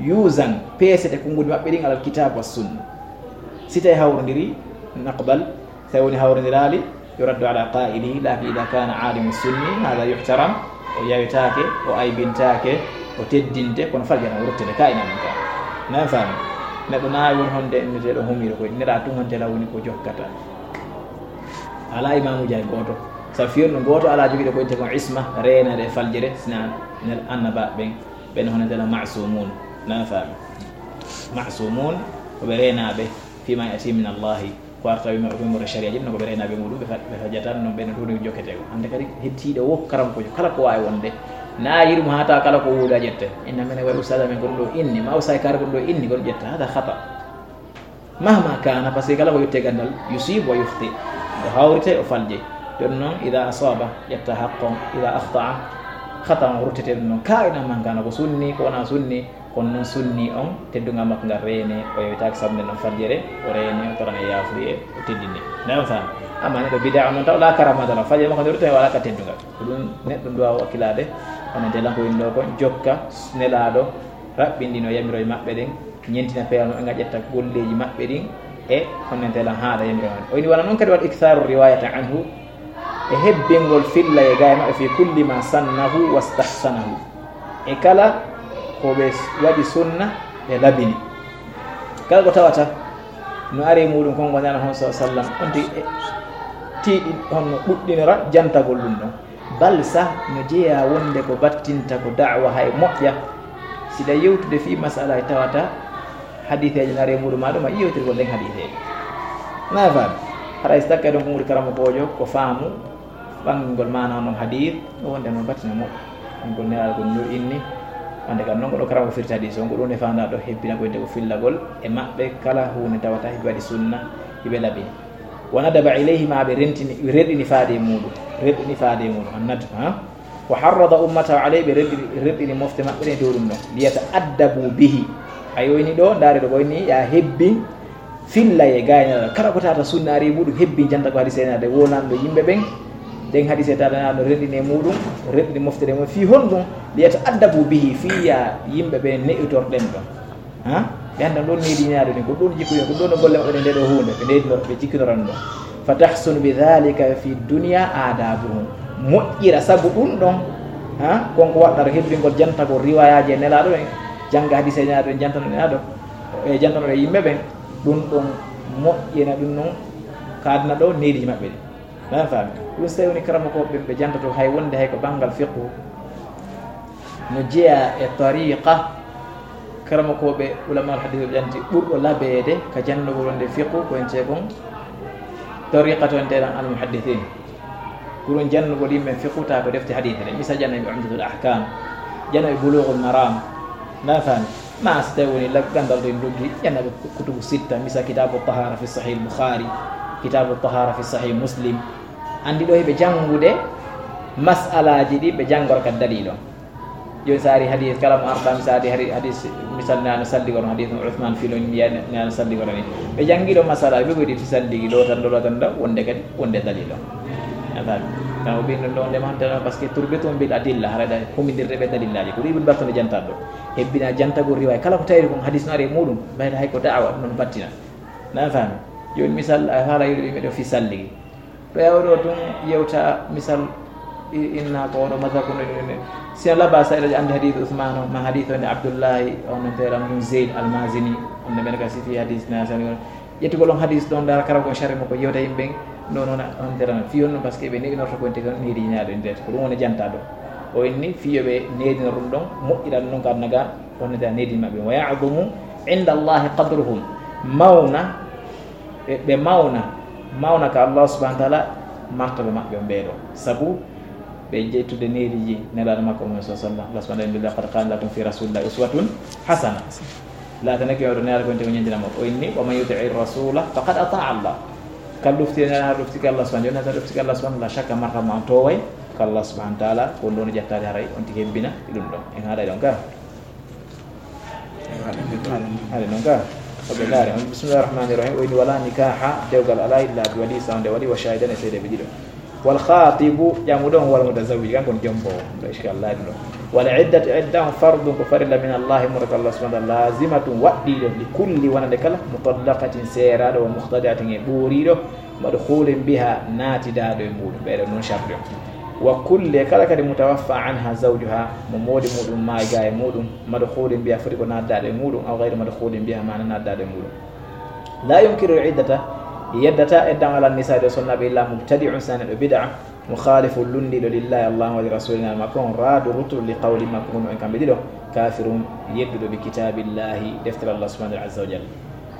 Yuzan, peesete konnguɗi maɓɓe ɗin alal kitab wa sunna. Si tawi hawrondiri, naqbal. Si tawi woni hawrondiraali, yuraddu ala qailihi, lakin ida kana alimu sunni, hada yuhtaram, o yawetaake, o aybintaake, o teddinte, kono faljere o ruttete, ka ina mum ka. Nan faami? Neɗɗo na woni honde inneteeɗo humiiɗo koy, nera tun honte la woni ko jokkata. Ala imaamuuji hay gooto. Sa fiyon no gooto ala jogiiɗo ko innete kon isma, reenaade e faljere, sina nel annaba ɓen, ɓen hono tela masumun. Nan faami? Masumun, ko ɓe reenaaɓe, fima yati min Allahi, ko arta wi maɓɓe umoro sharia jin, no ko ɓe reenaaɓe muɗum, ɓe fa-, ɓe fajata, non ɓe no ɗum jokkete ko. Hande kadi hettiiɗo wo karam ko kala ko waawi wonde. Na yiɗum haa tawa kala ko wuuda ƴette. Inna mene waɗi ustad amen ko ɗum ɗo inni, ma ustad kare ko ɗum ɗo inni, ko ɗum ƴetta. Hada khata. Mahma kana, parce que kala ko yotti e gandal, yusib wa yukhti. O hawrite, o falje. Ɗum noon, ida asaba, ƴetta haqqon, ida akhta'a, khata on ruttete ɗum noon. Ka ina man kana ko sunni, ko wona sunni, kono noon sunni on, teddungal makko ngal reene, o yewtaaki sabu nden ɗon faljere, o reene, o torane yaafuye, o teddine. Nan faami? Amma neɗɗo bida on noon taw, la karamata la, faljere makko nde ruttete wala ka teddungal. Ko ɗum neɗɗo duwa wakkilaade, hono ndelan ko winndoo kon, jokka nelaaɗo, raɓɓindino yamiroye maɓɓe ɗen, ñentina peewal maɓɓe ngal, ƴetta golleeji maɓɓe ɗin e honnente lan haaɗa yamiroye maɓɓe. O ini wala noon kadi wal iktharu riwayata anhu, e hebbingol filla e gaay maɓɓe fi kulli ma sannahu wastahsanahu, e kala ko ɓe waɗi sunna ɓe labini. Kala ko tawata no ari e muɗum kon wonani hon sa sallam, on tigi e tiiɗi honno ɗuɗɗinora jantagol ɗum ɗon. Bal sah no jeyaa wonde ko battinta ko da'wa hay moƴƴa. Siɗa yewtude fii masala e tawata hadiiseeje no ari e muɗum maa ɗum a yewtirgol ɗen hadiiseeje. Na faami? Haray si takkay ɗon ko muɗi karamokoojo ko faamu ɓangingol maana on ɗon hadiis, o wonde no battina moƴƴa. Ɗum ko nelaaɗo ko no inni, wonde kam non ko ɗo karamoko firti hadiis on, ko ɗum e faandaa ɗo hebbina ko wonde ko fillagol e maɓɓe kala huunde tawata hiɓe waɗi sunna, hiɓe labini. Wa nadaba ilayhi ma ɓe rentini, rerɗini faade e muɗum, rerɗini faade e muɗum, an nadb, ha? Wa harrada ummatahu alayhi, ɓe rerɗini, rerɗini mofte maɓɓe ɗen dow ɗum ɗon. Liyata'addabu bihi. A yoyni ɗo, ndaare ɗo ɓoyni, ya hebbin fillay e gaynal. Kala ko tata sunna ari muɗum, hebbin janta ko hadise naade wonanɗo yimɓe ɓen. Ɗen hadise tata naade no rerɗini e muɗum, rerɗini mofte ɗe mum. Fii honɗum? Liyata'addabu bihi, fii ya yimɓe ɓen ne'itor ɗen ɗon. Ha? Ɓe annda ɗon needi ñaade ni, ko ɗon jikkuyo, ko ɗon golle maɓɓe ɗe nde ɗo huunde, ɓe needino, ɓe jikkinora ɗum ɗon. Fa tahsunu bi dhalika fi dunya adabuhum. Moƴƴira sabu ɗum ɗon, ha? Kon ko waɗɗata hebbingol jantagol riwayaaji e nelaaɗo ɓen, jannga hadise nelaaɗo ɓen, jantano nelaaɗo, e jantano e yimɓe ɓen, ɗum ɗon moƴƴina ɗum ɗon kaadna ɗo neediji maɓɓe ɗi. Ɗan faami? Ɗum so tawi woni karamokooɓe ɓen ɓe jantoto hay wonde hay ko banngal fiqhu, no jeyaa e tariqa, karamokooɓe ulama al hadis ɓe ƴanti ɓurɗo labeede ka janndugol wonde fiqhu ko en ceekon tariqa to en teeran al muhaddisin. Ko ɗum janndugol yimɓe fiqhu ta ko defte hadis ɗen. Misal ƴannoɓe Umdatul Ahkam, ƴannoɓe Bulughul Maram. Ɗan faami? Ma so tawi woni la-, ganndal to en luggi, ƴannoɓe kutubu sitta, misal Kitabu Tahara fi Sahih Bukhari, Kitabu Tahara fi Sahih Muslim. Anndi ɗo heɓe janngude mas'alaaji ɗi ɓe janngora ka dalil on. Jooni so ari hadis, kala mo arɗa, mi so ari hari-, hadis, misal ne ano salli kono hadis mo Uthman filo ni, ya ne ano salli kono ni. Ɓe janngi ɗo masala, ɓe goydi fi salli ɗo tan, ɗo tan, ɗo wonde kadi, wonde dalil on. A faami? Kan o ɓin ɗon ɗo wonde man tan, parce que turbitum bil adilla, hara da humindirde ɓe dalillaaji. Ko ɗum Ibn Battal janta ɗo. Hebbina jantagol riwaaya. Kala ko tawi kon hadis no ari e muɗum, ɓayde hay ko da'wa, ɗum ɗon battina. Na faami? Jooni misal, a haala yiɗo ɓe ɗo fi salli. Ɓe awɗo tun yewta misal i-, inna ko oɗo mazhab kono ɗum ne. Sina laba sa ila andi hadith Uthman on, ma hadith on Abdullahi on no tera mun Zayd al-Mazini, on no ɓen ka sifi hadith na sani on. Ƴettugol on hadith ɗon dara kala ko shari mo ko yewta yimɓe, non, non, on tera non. Fi on non, parce que ɓe neɗɗo norto ko ente kon neɗi ñaado ente. Ko ɗum woni janta ɗo. O inni fi yo ɓe neɗi no ɗum ɗon, moƴƴiran non ka naga, on no tera neɗi maɓɓe. Wa ya'zumu inda Allahi qadruhum. Mawna, ɓe, ɓe mawna, mawna ka Allah subhanahu wa ta'ala, martaba maɓɓe on ɓeeɗo. Sabu ɓe ƴettude neediji nelaaɗo makko Muhammad sallallahu alaihi wasallam. Allah subhanahu wa ta'ala, "Laqad kana lakum fi rasulillahi uswatun hasana." Laatanake oɗo nelaaɗo ko ente ko ñandina mo. O inni, "Wa man yuti'i rasula faqad ata'a Allah." Kala ɗoftike nelaaɗo, ɗoftike Allah subhanahu wa ta'ala, ɗoftike Allah subhanahu wa ta'ala, la shakka martaba ma on toway ka Allah subhanahu wa ta'ala, ko on ɗon jattaade haray, on tigi hebbina e ɗum ɗon. En haaɗay ɗon ka. Haɗe noon ka, ko ɓe ndaari on. Bismillahir rahmanir rahim. O inni, "Wala nikaha, dewgal alaa, illa bi wali, sawde wali, wa shahidan, e seedeeɓe ɗiɗo." Wal khatibu, ƴamuɗo on, wal mutazawwij, kanko on jombo on. Ɗo iskal laaɗi ɗo. Wal iddatu, idda on, fardun, ko farilla, min Allahi, mo ka Allah subhanahu wa ta'ala, lazimatun, waɗɗiiɗo, li kulli, wonande kala, mutallaqatin, seeraaɗo, wa mukhtali'atin, e ɓooriiɗo, madkhulin biha, naatidaaɗo e muɗum, ɓeɗo non sharti on. Wa kulli, kala kadi, mutawaffa anha zawjuha, mo moodi muɗum maayi ga e muɗum, madkhulin biha, foti ko naatdaaɗo e muɗum, aw ghayri madkhulin biha, ma na naatdaaɗo e muɗum. La yunkiru al-iddata, yeddata eddan ala nisaa ɗo sonnaaɓe illa mubtadi'un, sane ɗo bid'a, mukhalifun, lunndiiɗo, lillahi, Allah, wa li rasulina, makko on, raadu rutturu, li qawli, makko on, en kamɓe ɗiɗo, kafirun, yedduɗo, bi kitabillahi, deftere Allah subhanahu wa ta'ala azza wa jalla.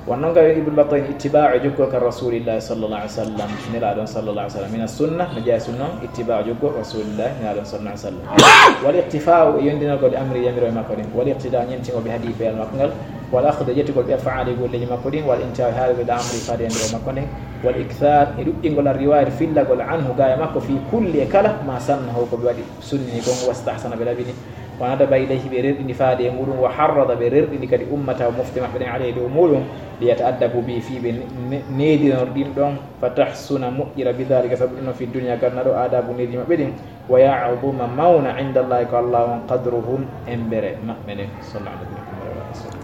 Wonno nga Ibn Battah, ittiba'u, jokkol ka Rasulillahi sallallahu alaihi wasallam, nelaaɗo on sallallahu alaihi wasallam, mina sunna, no jeyaa sunna on, ittiba'u, jokkol Rasulillahi, nelaaɗo on sallallahu alaihi wasallam. Wal iqtifa'u, e yondinagol, amri, yamiro e makko ɗin, wal iqtida, ñentingol, bi hadi, beyal makko ngal, wal akhdu, e ƴettugol, bi af'ali, golleeji makko ɗin, wal intiha, e haalugol, ila amri, faade yamiro e makko nden, wal ikthar, e ɗuɗɗingol, ar riwayat, fillagol, anhu, ga e makko, fi kulli, e kala, ma sannahu, ko ɓe waɗi sunnini kon, wastahsana, ɓe laɓini, wa nadaba ilayhi, ɓe rerɗini faade e muɗum, wa harrada, ɓe rerɗini kadi ummata, mofte maɓɓe ɗen, alayhi, dow muɗum, li yata'addabu bi, fii ɓe ne-, ne-, needinor ɗin ɗon, fa tahsuna, moƴƴira, bi dhalika, sabu ɗum ɗon, fi dunya, ganna ɗo, adabu, needi maɓɓe ɗin, wa ya'zuma, mawna, inda Allahi, ko Allah on, qadruhum, embere maɓɓe nden. Sallallahu alaihi wa sallam.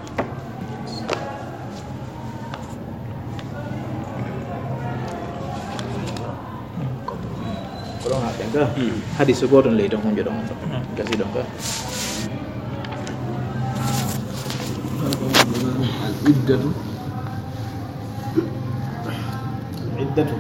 Ko ɗon haɗɗen ka? Hmm. Hadiisu gooto on ley ton, hunjo ɗon on ɗon. Hmm. Gasi ɗon ka? Al iddatu. Al iddatu.